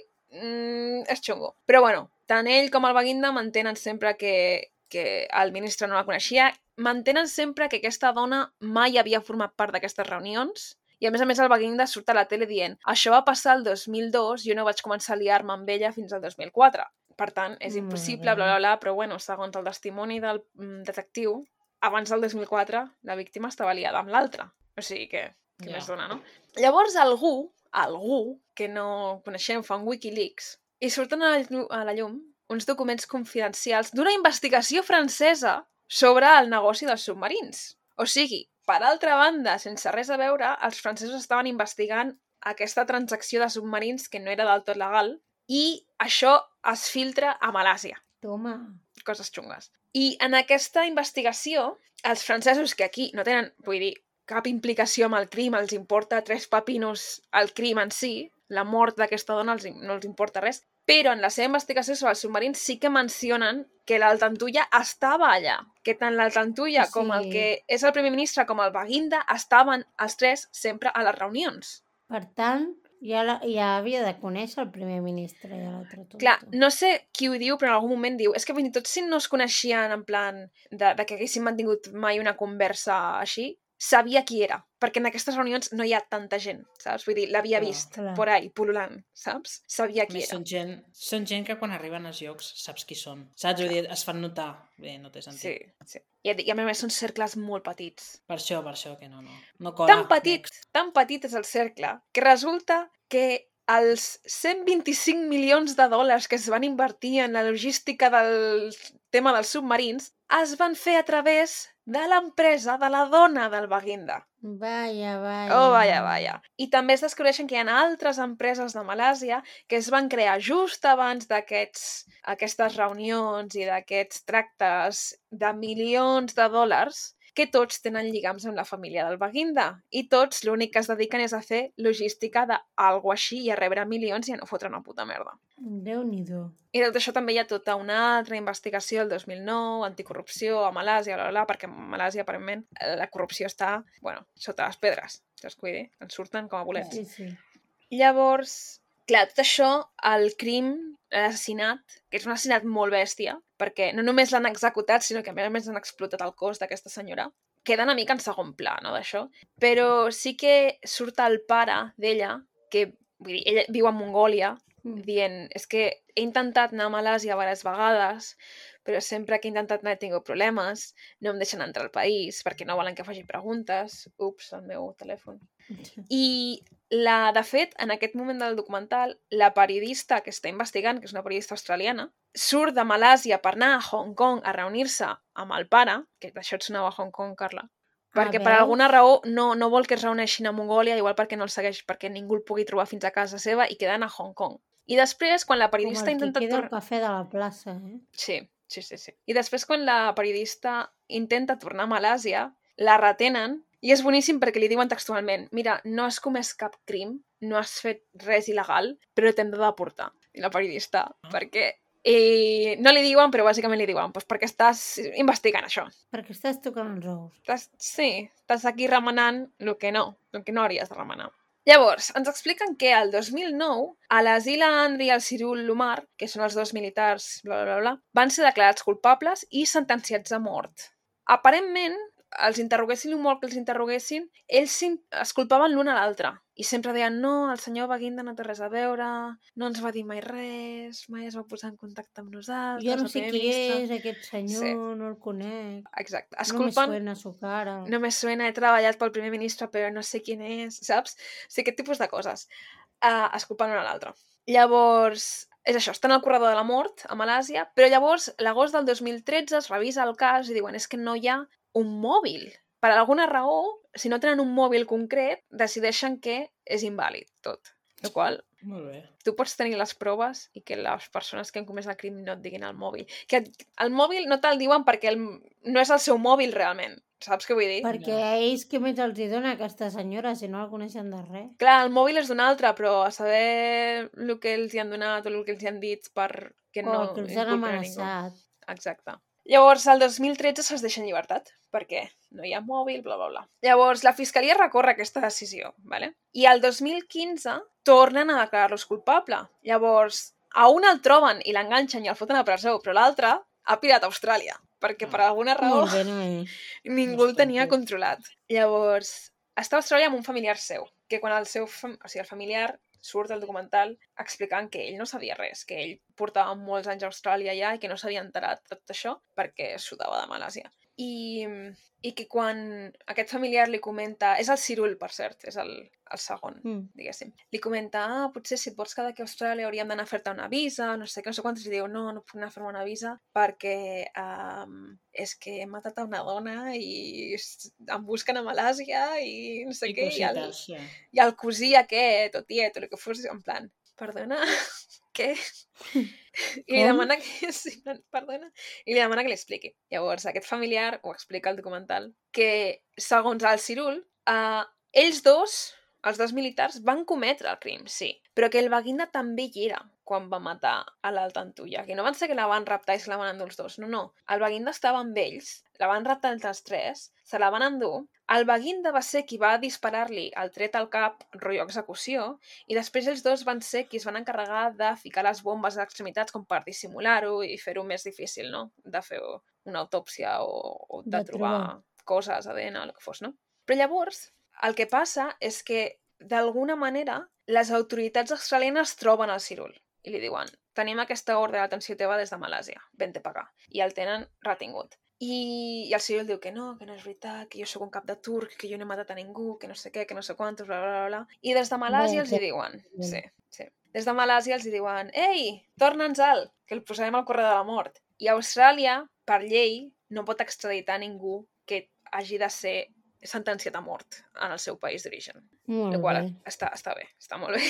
és xungo. Però bueno, tant ell com el Baguinda mantenen sempre que el ministre no la coneixia, mantenen sempre que aquesta dona mai havia format part d'aquestes reunions i a més el Baguinda surt a la tele dient: això va passar el 2002, jo no vaig començar a liar-me amb ella fins al 2004. Per tant, és impossible, bla, bla, bla, però bueno, segons el testimoni del detectiu, abans del 2004 la víctima estava liada amb l'altra. O sigui que més dona, no? Llavors algú que no coneixem fa un Wikileaks i surten a la llum uns documents confidencials d'una investigació francesa sobre el negoci dels submarins. O sigui, per altra banda, sense res a veure, els francesos estaven investigant aquesta transacció de submarins que no era del tot legal i això es filtra a Malàsia. Toma. Coses xungues. I en aquesta investigació, els francesos que aquí no tenen, vull dir, cap implicació amb el crim, els importa 3 pepinos el crim en si, la mort d'aquesta dona no els importa res, però en la seva investigació sobre els submarins sí que mencionen que l'Altantulla estava allà, que tant l'Altantulla com el que és el primer ministre com el Baguinda estaven els 3 sempre a les reunions. Per tant, ja havia de conèixer el primer ministre i l'altre tonto. Clar, no sé qui ho diu, però en algun moment diu és que fins i tot si no es coneixien en plan de que haguessin mantingut mai una conversa així, sabia qui era, perquè en aquestes reunions no hi ha tanta gent, saps? Vull dir, l'havia vist por ahí, pululant, saps? Sabia qui era. Són gent que quan arriben als llocs saps qui són, saps? Vull dir, es fan notar. Bé, no té sentit. Sí. I a més són cercles molt petits. Per això que no cola. Tan petit és el cercle, que resulta que els 125 milions de dòlars que es van invertir en la logística del tema dels submarins es van fer a través de l'empresa de la dona del Baguinda. Vaya. Oh, vaya. I també es descobreixen que hi ha altres empreses de Malàsia que es van crear just abans d'aquestes reunions i d'aquests tractes de milions de dòlars que tots tenen lligams amb la família del Baguinda i tots l'únic que es dediquen és a fer logística d'algo així i a rebre milions i a no fotre una puta merda. Déu-n'hi-do. I tot això també hi ha tota una altra investigació el 2009, anticorrupció a Malàsia, perquè a Malàsia aparentment la corrupció està, sota les pedres, saps què vull dir? En surten com a bolets. Sí. Llavors, clar, tot això, el crim, l'assassinat, que és un assassinat molt bèstia, perquè no només l'han executat, sinó que a més han explotat el cos d'aquesta senyora, queda una mica en segon pla, no, d'això? Però sí que surt el pare d'ella, que, vull dir, ella viu a Mongòlia, dient, és que he intentat anar a Malàsia diverses vegades, però sempre que he intentat anar he tingut problemes, no em deixen entrar al país perquè no volen que faci preguntes. Ups, el meu telèfon. I, de fet, en aquest moment del documental, la periodista que està investigant, que és una periodista australiana, surt de Malàsia per anar a Hong Kong a reunir-se amb el pare, que d'això et sonava a Hong Kong, Carla, perquè per alguna raó no vol que es reuneixin a Mongòlia, igual perquè no el segueix, perquè ningú el pugui trobar fins a casa seva i queden a Hong Kong. I després, quan la periodista intenta... Com el que queda al cafè de la plaça, eh? Sí. I després, quan la periodista intenta tornar a Malàsia, la retenen i és boníssim perquè li diuen textualment mira, no has comès cap crim, no has fet res il·legal, però t'hem de deportar. I la periodista, perquè... no li diuen, però bàsicament li diuen perquè estàs investigant això. Perquè estàs tocant els ous. Estàs aquí remenant el que no hauries de remenar. Llavors, ens expliquen que el 2009, a l'Azila Andri i el Cyril Lumar, que són els 2 militars, van ser declarats culpables i sentenciats a mort. Aparentment, els interroguessin el molt que els interroguessin, ells es culpaven l'un a l'altre. I sempre deien, no, el senyor Baguinda no té res a veure, no ens va dir mai res, mai es va posar en contacte amb nosaltres. Jo no sé qui és aquest senyor, no el conec. Exacte. No me suena su cara. No me suena, he treballat pel primer ministre, però no sé quin és, saps? O sigui, aquest tipus de coses. Es culpen l'un a l'altre. Llavors, és això, estan al corredor de la mort a Malàsia, però llavors, l'agost del 2013 es revisa el cas i diuen, és que no hi ha un mòbil. Per alguna raó, si no tenen un mòbil concret, decideixen que és invàlid tot. El qual, molt bé. Tu pots tenir les proves i que les persones que han comès el crim no et diguin el mòbil. Que el mòbil no te'l diuen perquè no és el seu mòbil realment. Saps què vull dir? Perquè a ells què més els dona aquesta senyora si no la coneixen de res? Clar, el mòbil és d'un altre, però a saber el que els hi han donat o el que els hi han dit perquè no... O el que els han amenaçat. Exacte. Llavors, el 2013 se'ls deixa en llibertat, perquè no hi ha mòbil, bla, bla, bla. Llavors, la Fiscalia recorre aquesta decisió, ¿vale? I el 2015 tornen a declarar-los culpable. Llavors, a un el troben i l'enganxen i el foten a presó, però l'altre ha pirat a Austràlia, perquè per alguna raó ningú el tenia controlat. Llavors, està a Austràlia amb un familiar seu, que quan el familiar surt del documental explicant que ell no sabia res, que ell portava molts anys a Austràlia ja i que no s'havia enterat de tot això perquè sudava de Malàsia. i que quan aquest familiar li comenta... És el Cirul, per cert, és el segon, diguéssim. Li comenta, potser si et vols quedar aquí a Austràlia hauríem d'anar a fer-te una visa, no sé què, no sé quantos, i diu, no puc anar a fer-me una visa perquè és que he matat a una dona i em busquen a Malàsia i no sé què, i el cosí aquest, o tiet, o el que fos, en plan, perdona, què? I li demana que... Sí, perdona. I li demana que li expliqui. Llavors, aquest familiar ho explica al documental, que, segons el Cirul, ells dos, els dos militars, van cometre el crim, sí, però que el Baginda també hi era quan va matar a l'Alta Antulla, que no van ser que la van raptar i se la van endur els dos, no. El Baginda estava amb ells, la van raptar entre els tres, se la van endur, el Baginda va ser qui va disparar-li el tret al cap, rotllo execució, i després els dos van ser qui es van encarregar de ficar les bombes a l'extremitats com per dissimular-ho i fer-ho més difícil, no? De fer una autòpsia o de trobar coses, ADN, el que fos, no? Però llavors, el que passa és que, d'alguna manera, les autoritats australianes troben el Cirul i li diuen, tenim aquesta ordre d'atenció teva des de Malàsia, vente pagar. I el tenen retingut. I el Cirul diu que no és veritat, que jo sóc un cap de turc, que jo no he matat a ningú, que no sé què, que no sé quantos, bla, bla, bla. I des de Malàsia els hi diuen... Sí. Des de Malàsia els hi diuen, ei, torna'ns-el, que el posarem al correu de la mort. I Austràlia, per llei, no pot extraditar ningú que hagi de ser sentenciat a mort en el seu país d'origen. Molt qual bé. Està bé, està molt bé.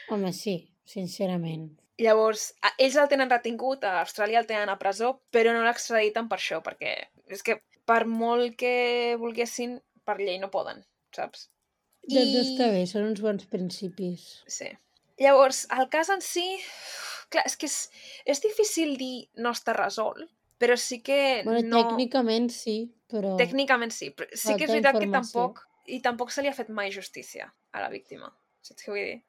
Home, sí, sincerament. Llavors, ells el tenen retingut, a Austràlia el tenen a presó, però no l'extraditen per això, perquè és que per molt que volguessin, per llei no poden, saps? Doncs està bé, són uns bons principis. Sí. Llavors, el cas en si... Clar, és que és difícil dir no està resolt, però sí que bueno, no... Tècnicament sí, però... Tècnicament sí, però sí que és veritat que tampoc se li ha fet mai justícia a la víctima. Saps què vull dir?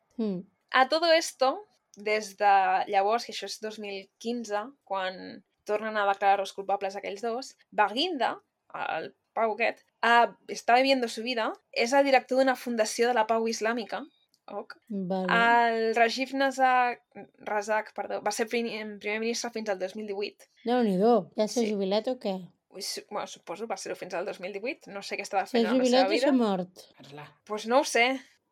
A todo esto, des de llavors, que això és 2015, quan tornen a declarar-los culpables aquells dos, Baginda, el Pau aquest, està viviendo su vida, és el director d'una fundació de la pau islàmica. Vale. El Rajiv Razak, va ser primer ministre fins al 2018. Déu-n'hi-do, ja s'ha jubilat o què? Bueno, suposo, va ser-ho fins al 2018. No sé què estava fent amb la seva vida. S'ha jubilat o s'ha mort? Pues no ho sé.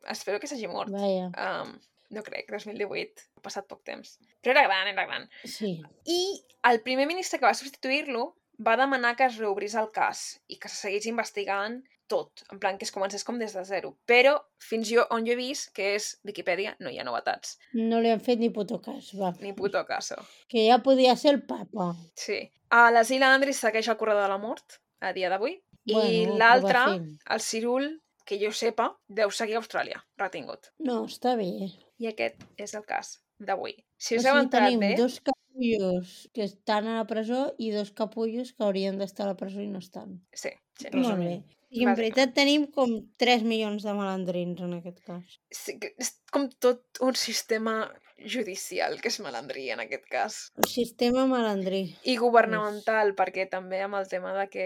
Espero que s'hagi mort. Vaja. No crec, 2018. Ha passat poc temps. Però era gran. Sí. I el primer ministre que va substituir-lo va demanar que es reobrís el cas i que se seguís investigant tot, en plan que es comencés com des de zero. Però fins on jo he vist, que és Viquipèdia, no hi ha novetats. No li han fet ni puto cas, va. Ni puto caso. Que ja podia ser el papa. Sí. A les Illes Andris segueix el corredor de la mort, a dia d'avui. I l'altre, el Cirul, que jo sepa, deu seguir a Austràlia, retingut. No, està bé. I aquest és el cas d'avui. Si us heu entrat bé... Tenim dos capullos que estan a la presó i dos capullos que haurien d'estar a la presó i no estan. Sí. Molt bé. I en veritat tenim com 3 milions de malandrins en aquest cas. Sí, és com tot un sistema judicial que és malandrí en aquest cas. Un sistema malandrí. I governamental, perquè també amb el tema de que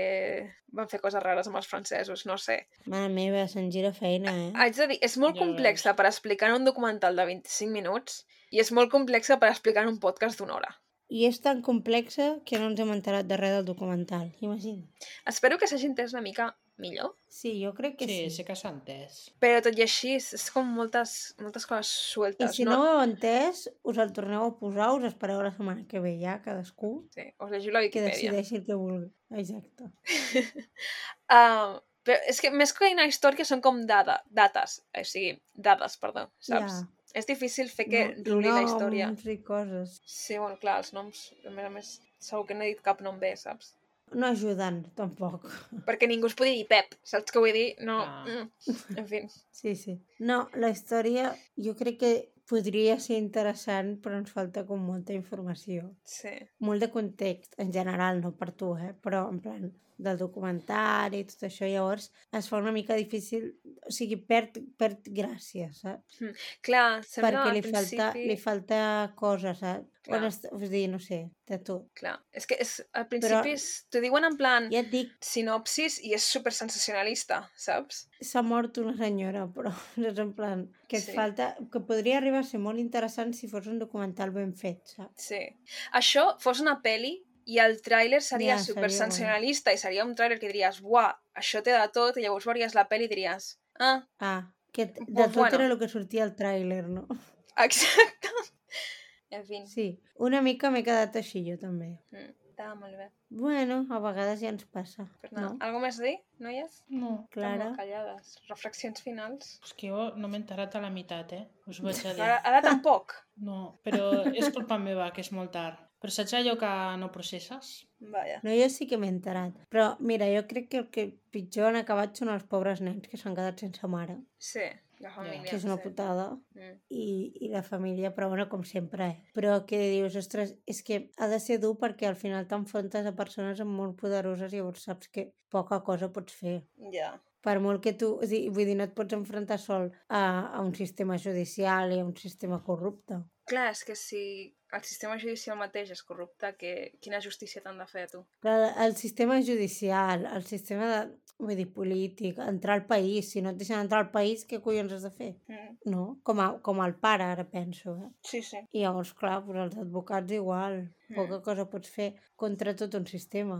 van fer coses rares amb els francesos, no sé. Mare meva, se'n gira feina, Haig de dir, és molt complexa per explicar en un documental de 25 minuts i és molt complexa per explicar en un podcast d'1 hora. I és tan complexa que no ens hem enterat de res del documental, imagina. Espero que s'hagi entès una mica millor. Sí, jo crec que sí. Sí que s'ha entès. Però tot i així és com moltes coses sueltes. I si no ho heu entès, us el torneu a posar, us espereu la setmana que ve ja, cadascú. Sí, us llegiu la Viquipèdia. Que decideixi el que vulgui. Exacte. Però és que més que una història són com dades, perdó, saps? Ja. És difícil fer que ruli la història. Noms i coses. Sí, bueno, clar, els noms, a més, segur que no he dit cap nom bé, saps? No ajuden, tampoc. Perquè ningú es podia dir Pep, saps què vull dir? No, en fi. Sí. No, la història jo crec que podria ser interessant, però ens falta com molta informació. Sí. Molt de context, en general, no per tu, però en plan del documentari i tot això, llavors es fa una mica difícil, o sigui, perd gràcia, saps? Clar, sembla perquè al principi... li falta coses, saps? Vull dir, no sé, de tot. Clar, és que al principi t'ho diuen en plan ja et dic, sinopsis i és super sensacionalista, saps? S'ha mort una senyora, però és en plan que et falta, que podria arribar a ser molt interessant si fos un documental ben fet, saps? Sí. Això fos una pel·li I el tràiler seria Ja, super seria sensacionalista i seria un tràiler que diries, buah, això té de tot, i llavors veuries la pel·li i diries, que de pues tot bueno. era el que sortia al tràiler, no? Exacte. En fi, Sí, una mica m'he quedat així jo també. estava molt bé. Bueno, a vegades ja ens passa, Pues nada, no? algo més a dir, noies? No, Estan Clara? molt callades. Reflexions finals? és que jo no m'he enterat a la meitat, Us ho vaig a dir. Ara tampoc? No, però és culpa meva, que és molt tard. Però saps allò que no processes? Vaja. No, jo sí que m'he enterat. Però, mira, jo crec que el que pitjor han acabat són els pobres nens que s'han quedat sense mare, Sí, la família. que és una sí. putada. Mm. I la família, però bueno, com sempre, Però que dius, ostres, és que ha de ser dur perquè al final t'enfrontes a persones molt poderoses i llavors saps que poca cosa pots fer. Ja. Per molt que tu... O sigui, vull dir, no et pots enfrontar sol a un sistema judicial i a un sistema corrupte. Clar, és que si el sistema judicial mateix és corrupte, quina justícia t'han de fer a tu? Clar, el sistema judicial, el sistema de, vull dir, polític, entrar al país, si no et deixen entrar al país, què collons has de fer? No? Com el pare, ara penso, Sí, sí. I llavors, clar, doncs els advocats igual, poca cosa pots fer contra tot un sistema.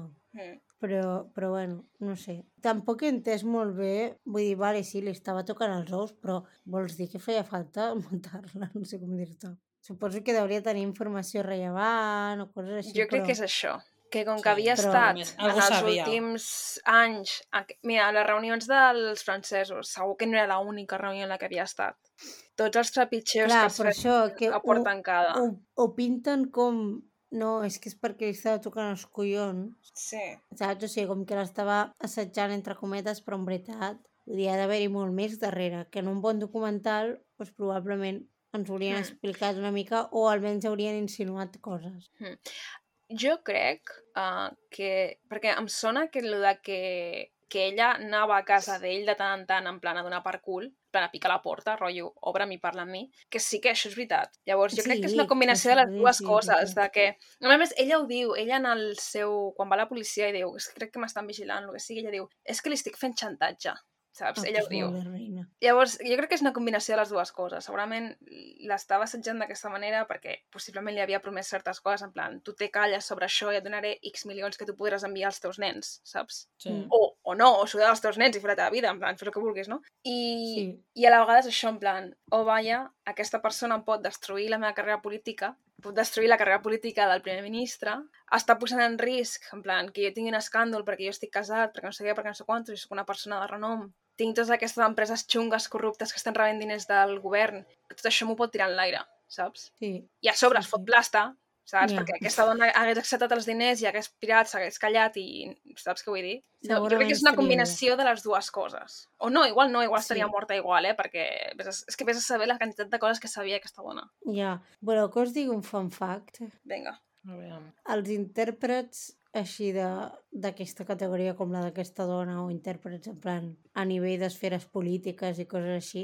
Però bueno, no sé. Tampoc he entès molt bé, vull dir, vale, sí, li estava tocant els ous, però vols dir que feia falta muntar-la? No sé com dir-te. Suposo que hauria tenir informació rellevant o coses així, Jo crec però... que és això, que com que Sí, havia però estat més, en algú els sabia. últims anys... Mira, les reunions dels francesos, segur que no era l'única reunió en la que havia estat. Tots els trepitgeos clar, que es per això, que a porta tancada. ho pinten com... No, és que és perquè li estava tocant els collons. Sí. Saps? O sigui, com que l'estava assetjant entre cometes, però en veritat vull dir, ha d'haver-hi molt més darrere, que en un bon documental doncs, probablement ens haurien explicat una mica o almenys haurien insinuat coses. Jo crec que... Perquè em sona que el de que ella anava a casa d'ell de tant en tant en plan a donar per cul, en plan a picar la porta, rotllo, obre'm i parla amb mi, que sí que això és veritat. Llavors, jo crec que és una combinació de les dues coses, de que... A més, ella ho diu, ella en el seu... Quan va a la policia i diu, és que crec que m'estan vigilant, el que sigui, ella diu, és que li estic fent xantatge, saps? Ella ho diu. Reina. Llavors, jo crec que és una combinació de les dues coses. Segurament l'estava assetjant d'aquesta manera perquè possiblement li havia promès certes coses, en plan, tu te calles sobre això i et donaré X milions que tu podràs enviar als teus nens, saps? Sí. O no, o s'ho als teus nens i fer la teva vida, en plan, fes el que vulguis, no? I a la vegada és això, en plan, vaja, aquesta persona em pot destruir la meva carrera política, pot destruir la carrera política del primer ministre, està posant en risc, en plan, que jo tingui un escàndol perquè jo estic casat, perquè no sé què, perquè no sé quantos, i soc una persona de renom, tinc totes aquestes empreses xungues corruptes que estan rebent diners del govern, tot això m'ho pot tirar en l'aire, saps? Sí. I a sobre es fot plasta, saps? Ja. Perquè aquesta dona hagués acceptat els diners i hagués pirat, s'hagués callat i... Saps què vull dir? Jo crec que és una combinació de les dues coses. O no, igual estaria morta igual, perquè és que vés a saber la quantitat de coses que sabia aquesta dona. Ja. Bueno, que us digui un fun fact. Vinga. Els intèrprets així d'aquesta categoria com la d'aquesta dona o intèrprets en plan a nivell d'esferes polítiques i coses així,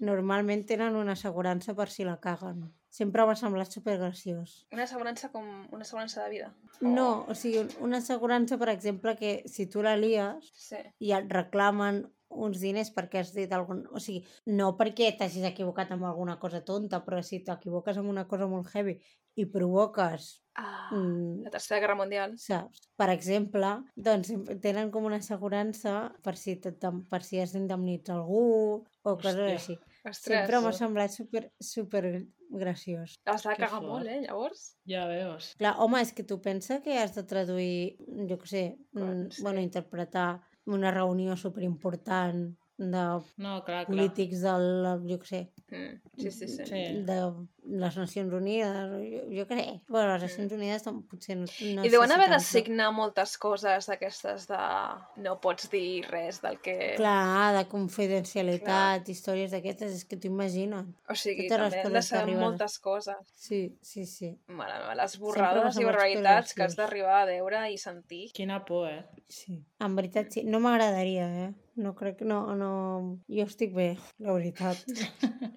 normalment tenen una assegurança per si la caguen. Sempre m'ha semblat supergraciós. Una assegurança com una assegurança de vida? No, o sigui, una assegurança, per exemple, que si tu la lies i et reclamen uns diners perquè has dit algun... O sigui, no perquè t'hagis equivocat amb alguna cosa tonta, però si t'equivoques amb una cosa molt heavy i provoques... la Tercera Guerra Mundial. Saps? Per exemple, doncs tenen com una assegurança per si has d'indemnitzar algú o coses així. Sempre m'ha semblat super graciós. Has de cagar molt, llavors? Ja veus. Clar, home, és que tu pensa que has de traduir, jo què sé, bueno, interpretar una reunió superimportant de polítics del, jo què sé, de les Nacions Unides, jo què sé. Bueno, les Nacions Unides potser no I deuen haver de signar moltes coses d'aquestes de no pots dir res del que... Clar, de confidencialitat, històries d'aquestes, és que t'ho imagina't. O sigui, també han de saber moltes coses. Sí. Mare meva, les borrades i barbaritats que has d'arribar a veure i sentir. Quina por, Sí, en veritat sí. No m'agradaria, No crec... No. Jo estic bé, la veritat.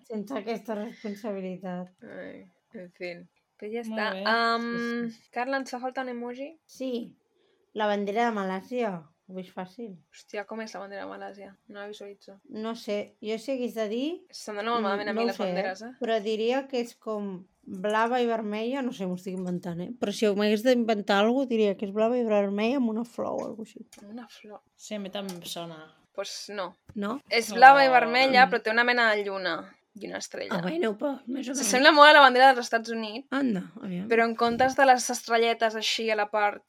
Sense aquesta responsabilitat. Ai, en fi. Però ja està. Carla, ens fa falta un emoji? Sí. La bandera de Malàisia. Ho veig fàcil. Hòstia, com és la bandera de Malàisia? No la visualitzo. No sé. Jo si hagués de dir... Se'm dona molt malament a mi les banderes, Però diria que és com blava i vermella, no sé, m'ho estic inventant, però si m'hagués d'inventar alguna cosa, diria que és blava i vermella amb una flor o alguna cosa així. Una flor. Sí, a mi també em sona. Pues no. No? És blava i Oh. vermella, però té una mena de lluna i una estrella. Ah, bueno, però més o menys. S'assembla molt a la bandera dels Estats Units, Anda, aviam. però en comptes de les estrelletes així a la part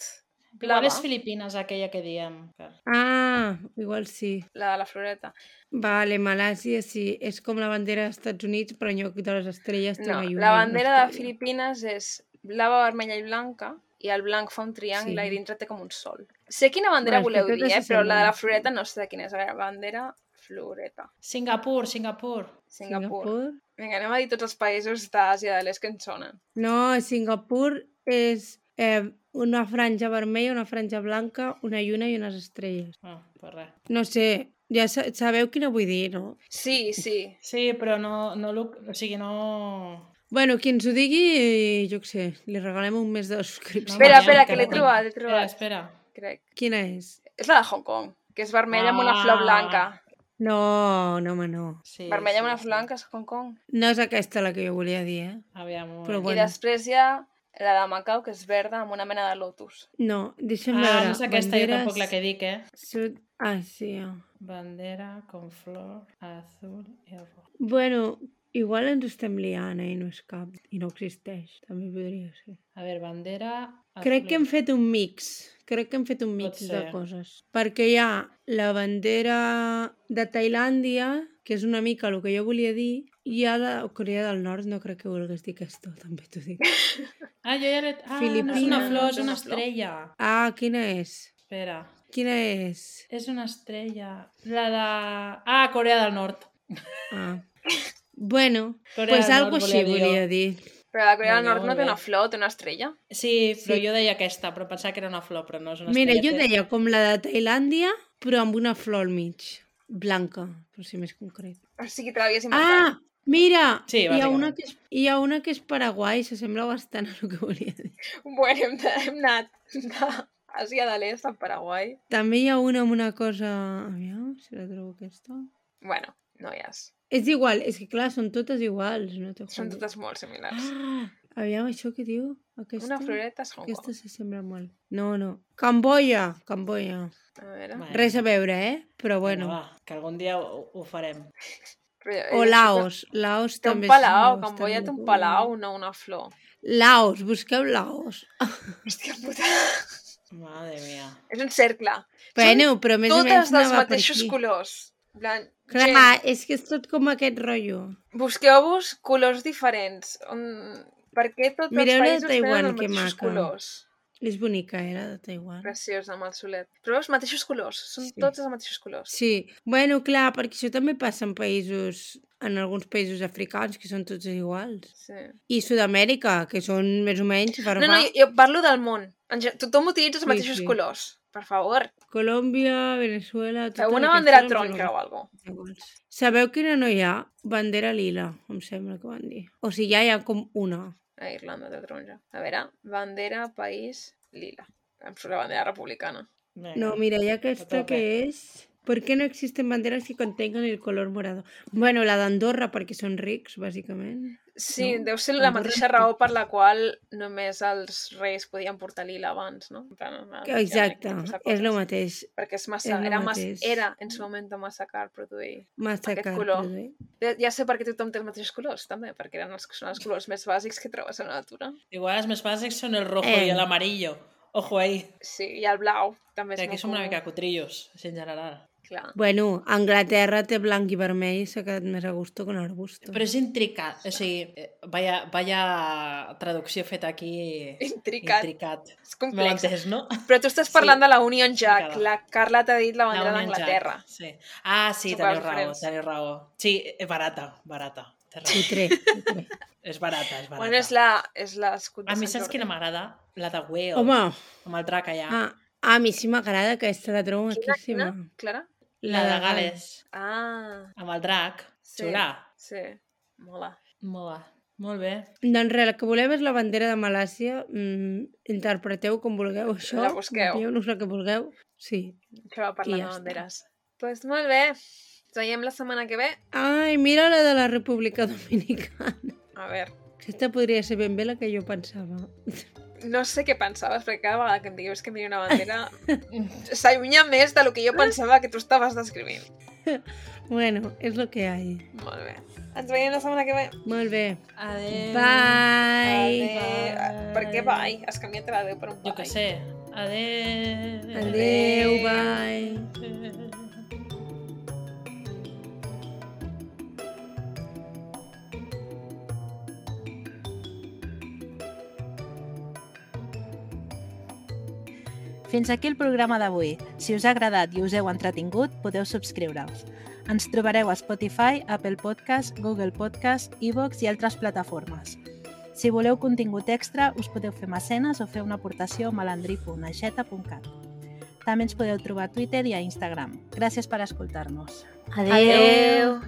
Igual blava, és Filipines aquella que diem. Ah, igual sí. la de la floreta. Vale, Malàisia sí, és com la bandera dels Estats Units, però en lloc de les estrelles té No, una lluna. la i una bandera de estrella. Filipines és blava, vermella i blanca, i el blanc fa un triangle Sí. i dintre té com un sol. Sé quina bandera Bueno, és que voleu dir, totes però la de la s'assemblen. floreta no sé de quina és. La bandera floreta. Singapur. Singapur. Vinga, anem a dir tots els països d'Àsia de l'Est que ens sonen. No, Singapur és una franja vermella, una franja blanca, una lluna i unes estrelles. Ah, pues res. No sé, ja sabeu quina vull dir, no? Sí. Sí, però no, o sigui, no... Bueno, qui ens ho digui, jo què sé, li regalem un mes de subscripció. Espera, que l'he encara trobat. Espera. Crec. Quina és? És la de Hong Kong, que és vermella amb una flor blanca. No, home, no. Sí, Vermella amb una sí. flor blanca és Hong Kong. No és aquesta la que jo volia dir, Aviam, un Però moment. bueno. I després hi ha la de Macau, que és verda, amb una mena de lotus. No, deixa'm Ah, veure. no és aquesta, jo tampoc la que dic, Sud... Ah, sí. Bandera con flor azul i rojo. Bueno, igual ens estem liant, i no és cap. I no existeix, també podria ser. A veure, bandera... Crec que hem azul. fet un mix. Crec que hem fet un mix de ser. coses. Perquè hi ha la bandera de Tailàndia, que és una mica el que jo volia dir, i hi ha la Corea del Nord, no crec que vulguis dir aquesta, també t'ho dic. Ah, jo ja l'he... Ah, no és Filipines. una flor, és És una una flor. estrella. Ah, quina és? Espera. Quina és? És una estrella. La de... Ah, Corea del Nord. Ah. Bueno, Corea pues del algo Nord així volia dir jo. volia dir. Però la Corea del Vinga, Nord no molt té bé. una flor, té una estrella. Sí, però Sí. jo deia aquesta, però pensava que era una flor, però no és una Mira, estrella. jo deia com la de Tailàndia, però amb una flor al mig. Blanca, per ser més concret. O sigui, te l'havies inventat. Ah, mira! Sí, hi, ha una bàsicament. hi ha una que és Paraguai, s'assembla bastant a el que volia dir. Bueno, hem anat d'Àsia de l'Est a Paraguai. També hi ha una amb una cosa... Aviam, si la trobo aquesta. Bueno, noies, És igual, és que clar, són totes iguals. No te són jodes. totes molt similars. Ah, aviam, això què diu? Aquesta? Una floreta és Hong Aquesta Kong. s'assembla molt. No. Camboya. A veure... Bueno, Res a veure, Però vinga, bueno. va, que algun dia ho farem. Però, O Laos. Laos Té un també palau, s'assembla Camboya bastant té un a palau, no una flor. Laos, busqueu Laos. Hòstia puta. Madre mia. És un cercle. Bueno, però més o menys Totes dels anava per mateixos aquí. colors. En plan, Clar, gent, és que és tot com aquest rotllo. busqueu-vos colors diferents. Per què tots Mireu la de els països tenen Taiwan, els que mateixos maca. colors? És bonica, era de Taiwan. Preciós, amb el solet. Però els mateixos colors, són Sí. tots els mateixos colors. Sí, bueno, clar, perquè això també passa en països, en alguns països africans, que són tots iguals. Sí. I Sud-amèrica, que són més o menys No, barbà. no, jo parlo del món. Tothom utilitza els Sí, mateixos sí. colors. Per favor, Colòmbia, Venezuela... feu totes una aquestes bandera em sembla taronja o alguna cosa. iguals. Sabeu quina no hi ha? Bandera lila, em sembla que van dir. O sigui, ja hi ha com una. A Irlanda té taronja. A veure, bandera, país, lila. Em surt la bandera republicana. Vinga. No, mira, hi ha aquesta tope. que és... ¿Por qué no existen banderas que contengan el color morado? Bueno, la d'Andorra, perquè són rics, bàsicament. Sí, No? deu ser la Andorra mateixa no. raó per la qual només els reis podien portar lila abans, no? En plan, Exacte, aquest tipus de és el coses. mateix. Perquè és massa, és lo era, mateix. era en su moment massa car produir. Massa Aquest car, color. produir. Ja sé per què tothom té els mateixos colors, també, perquè eren són els colors més bàsics que trobes a la natura. Igual els més bàsics són el rojo Eh. i l'amarillo. Ojo ahí. Sí, i el blau també és Que aquí molt som una comú. mica cutrillos, així en general. Clar. Bueno, Anglaterra té blanc i vermell i s'ha quedat més a gusto que un arbusto. Però és intricat, o sigui, vaya traducció feta aquí... Intricat. Intricat. És Me complex. l'entès, no? Però tu estàs parlant de la Union Jack. Complicada. La Carla t'ha dit la bandera Union d'Anglaterra. Jack, Sí. Ah, sí, Són teniu coses raó, diferents. teniu raó. Sí, és barata. Té raó. Putre. És barata. Bueno, és l'escut de A mi Sant saps Jordi. quina m'agrada? La de Wales. Home, Amb el drac allà. a mi sí m'agrada aquesta, la trobo Quina, maquíssima. Clara? La de Gales. Ah, Amb el drac. sí. Xulà. Sí, mola. Molt bé. Doncs res, el que voleu és la bandera de Malàcia. Interpreteu com vulgueu això. La busqueu. Envieu-nos el que vulgueu. Sí. Això va parlar I ja de està. banderes. Doncs pues molt bé. Ens veiem la setmana que ve. Ai, mira la de la República Dominicana. A veure, Aquesta podria ser ben bé la que jo pensava. No sé què pensaves, perquè cada vegada que em digues que em diria una bandera s'allunya més del que jo pensava que tu estaves descrivint. Bueno, és lo que hay. Molt bé. Ens veiem la setmana que ve. Molt bé. Adéu. Bye. Adéu. Per què bye? Has canviat l'adéu per un bye. Jo què sé. Adéu. Adéu, bye. Fins aquí el programa d'avui. Si us ha agradat i us heu entretingut, podeu subscriure-us. Ens trobareu a Spotify, Apple Podcast, Google Podcast, iVoox i altres plataformes. Si voleu contingut extra, us podeu fer mecenes o fer una aportació a malandrí.aixeta.cat. També ens podeu trobar a Twitter i a Instagram. Gràcies per escoltar-nos. Adéu!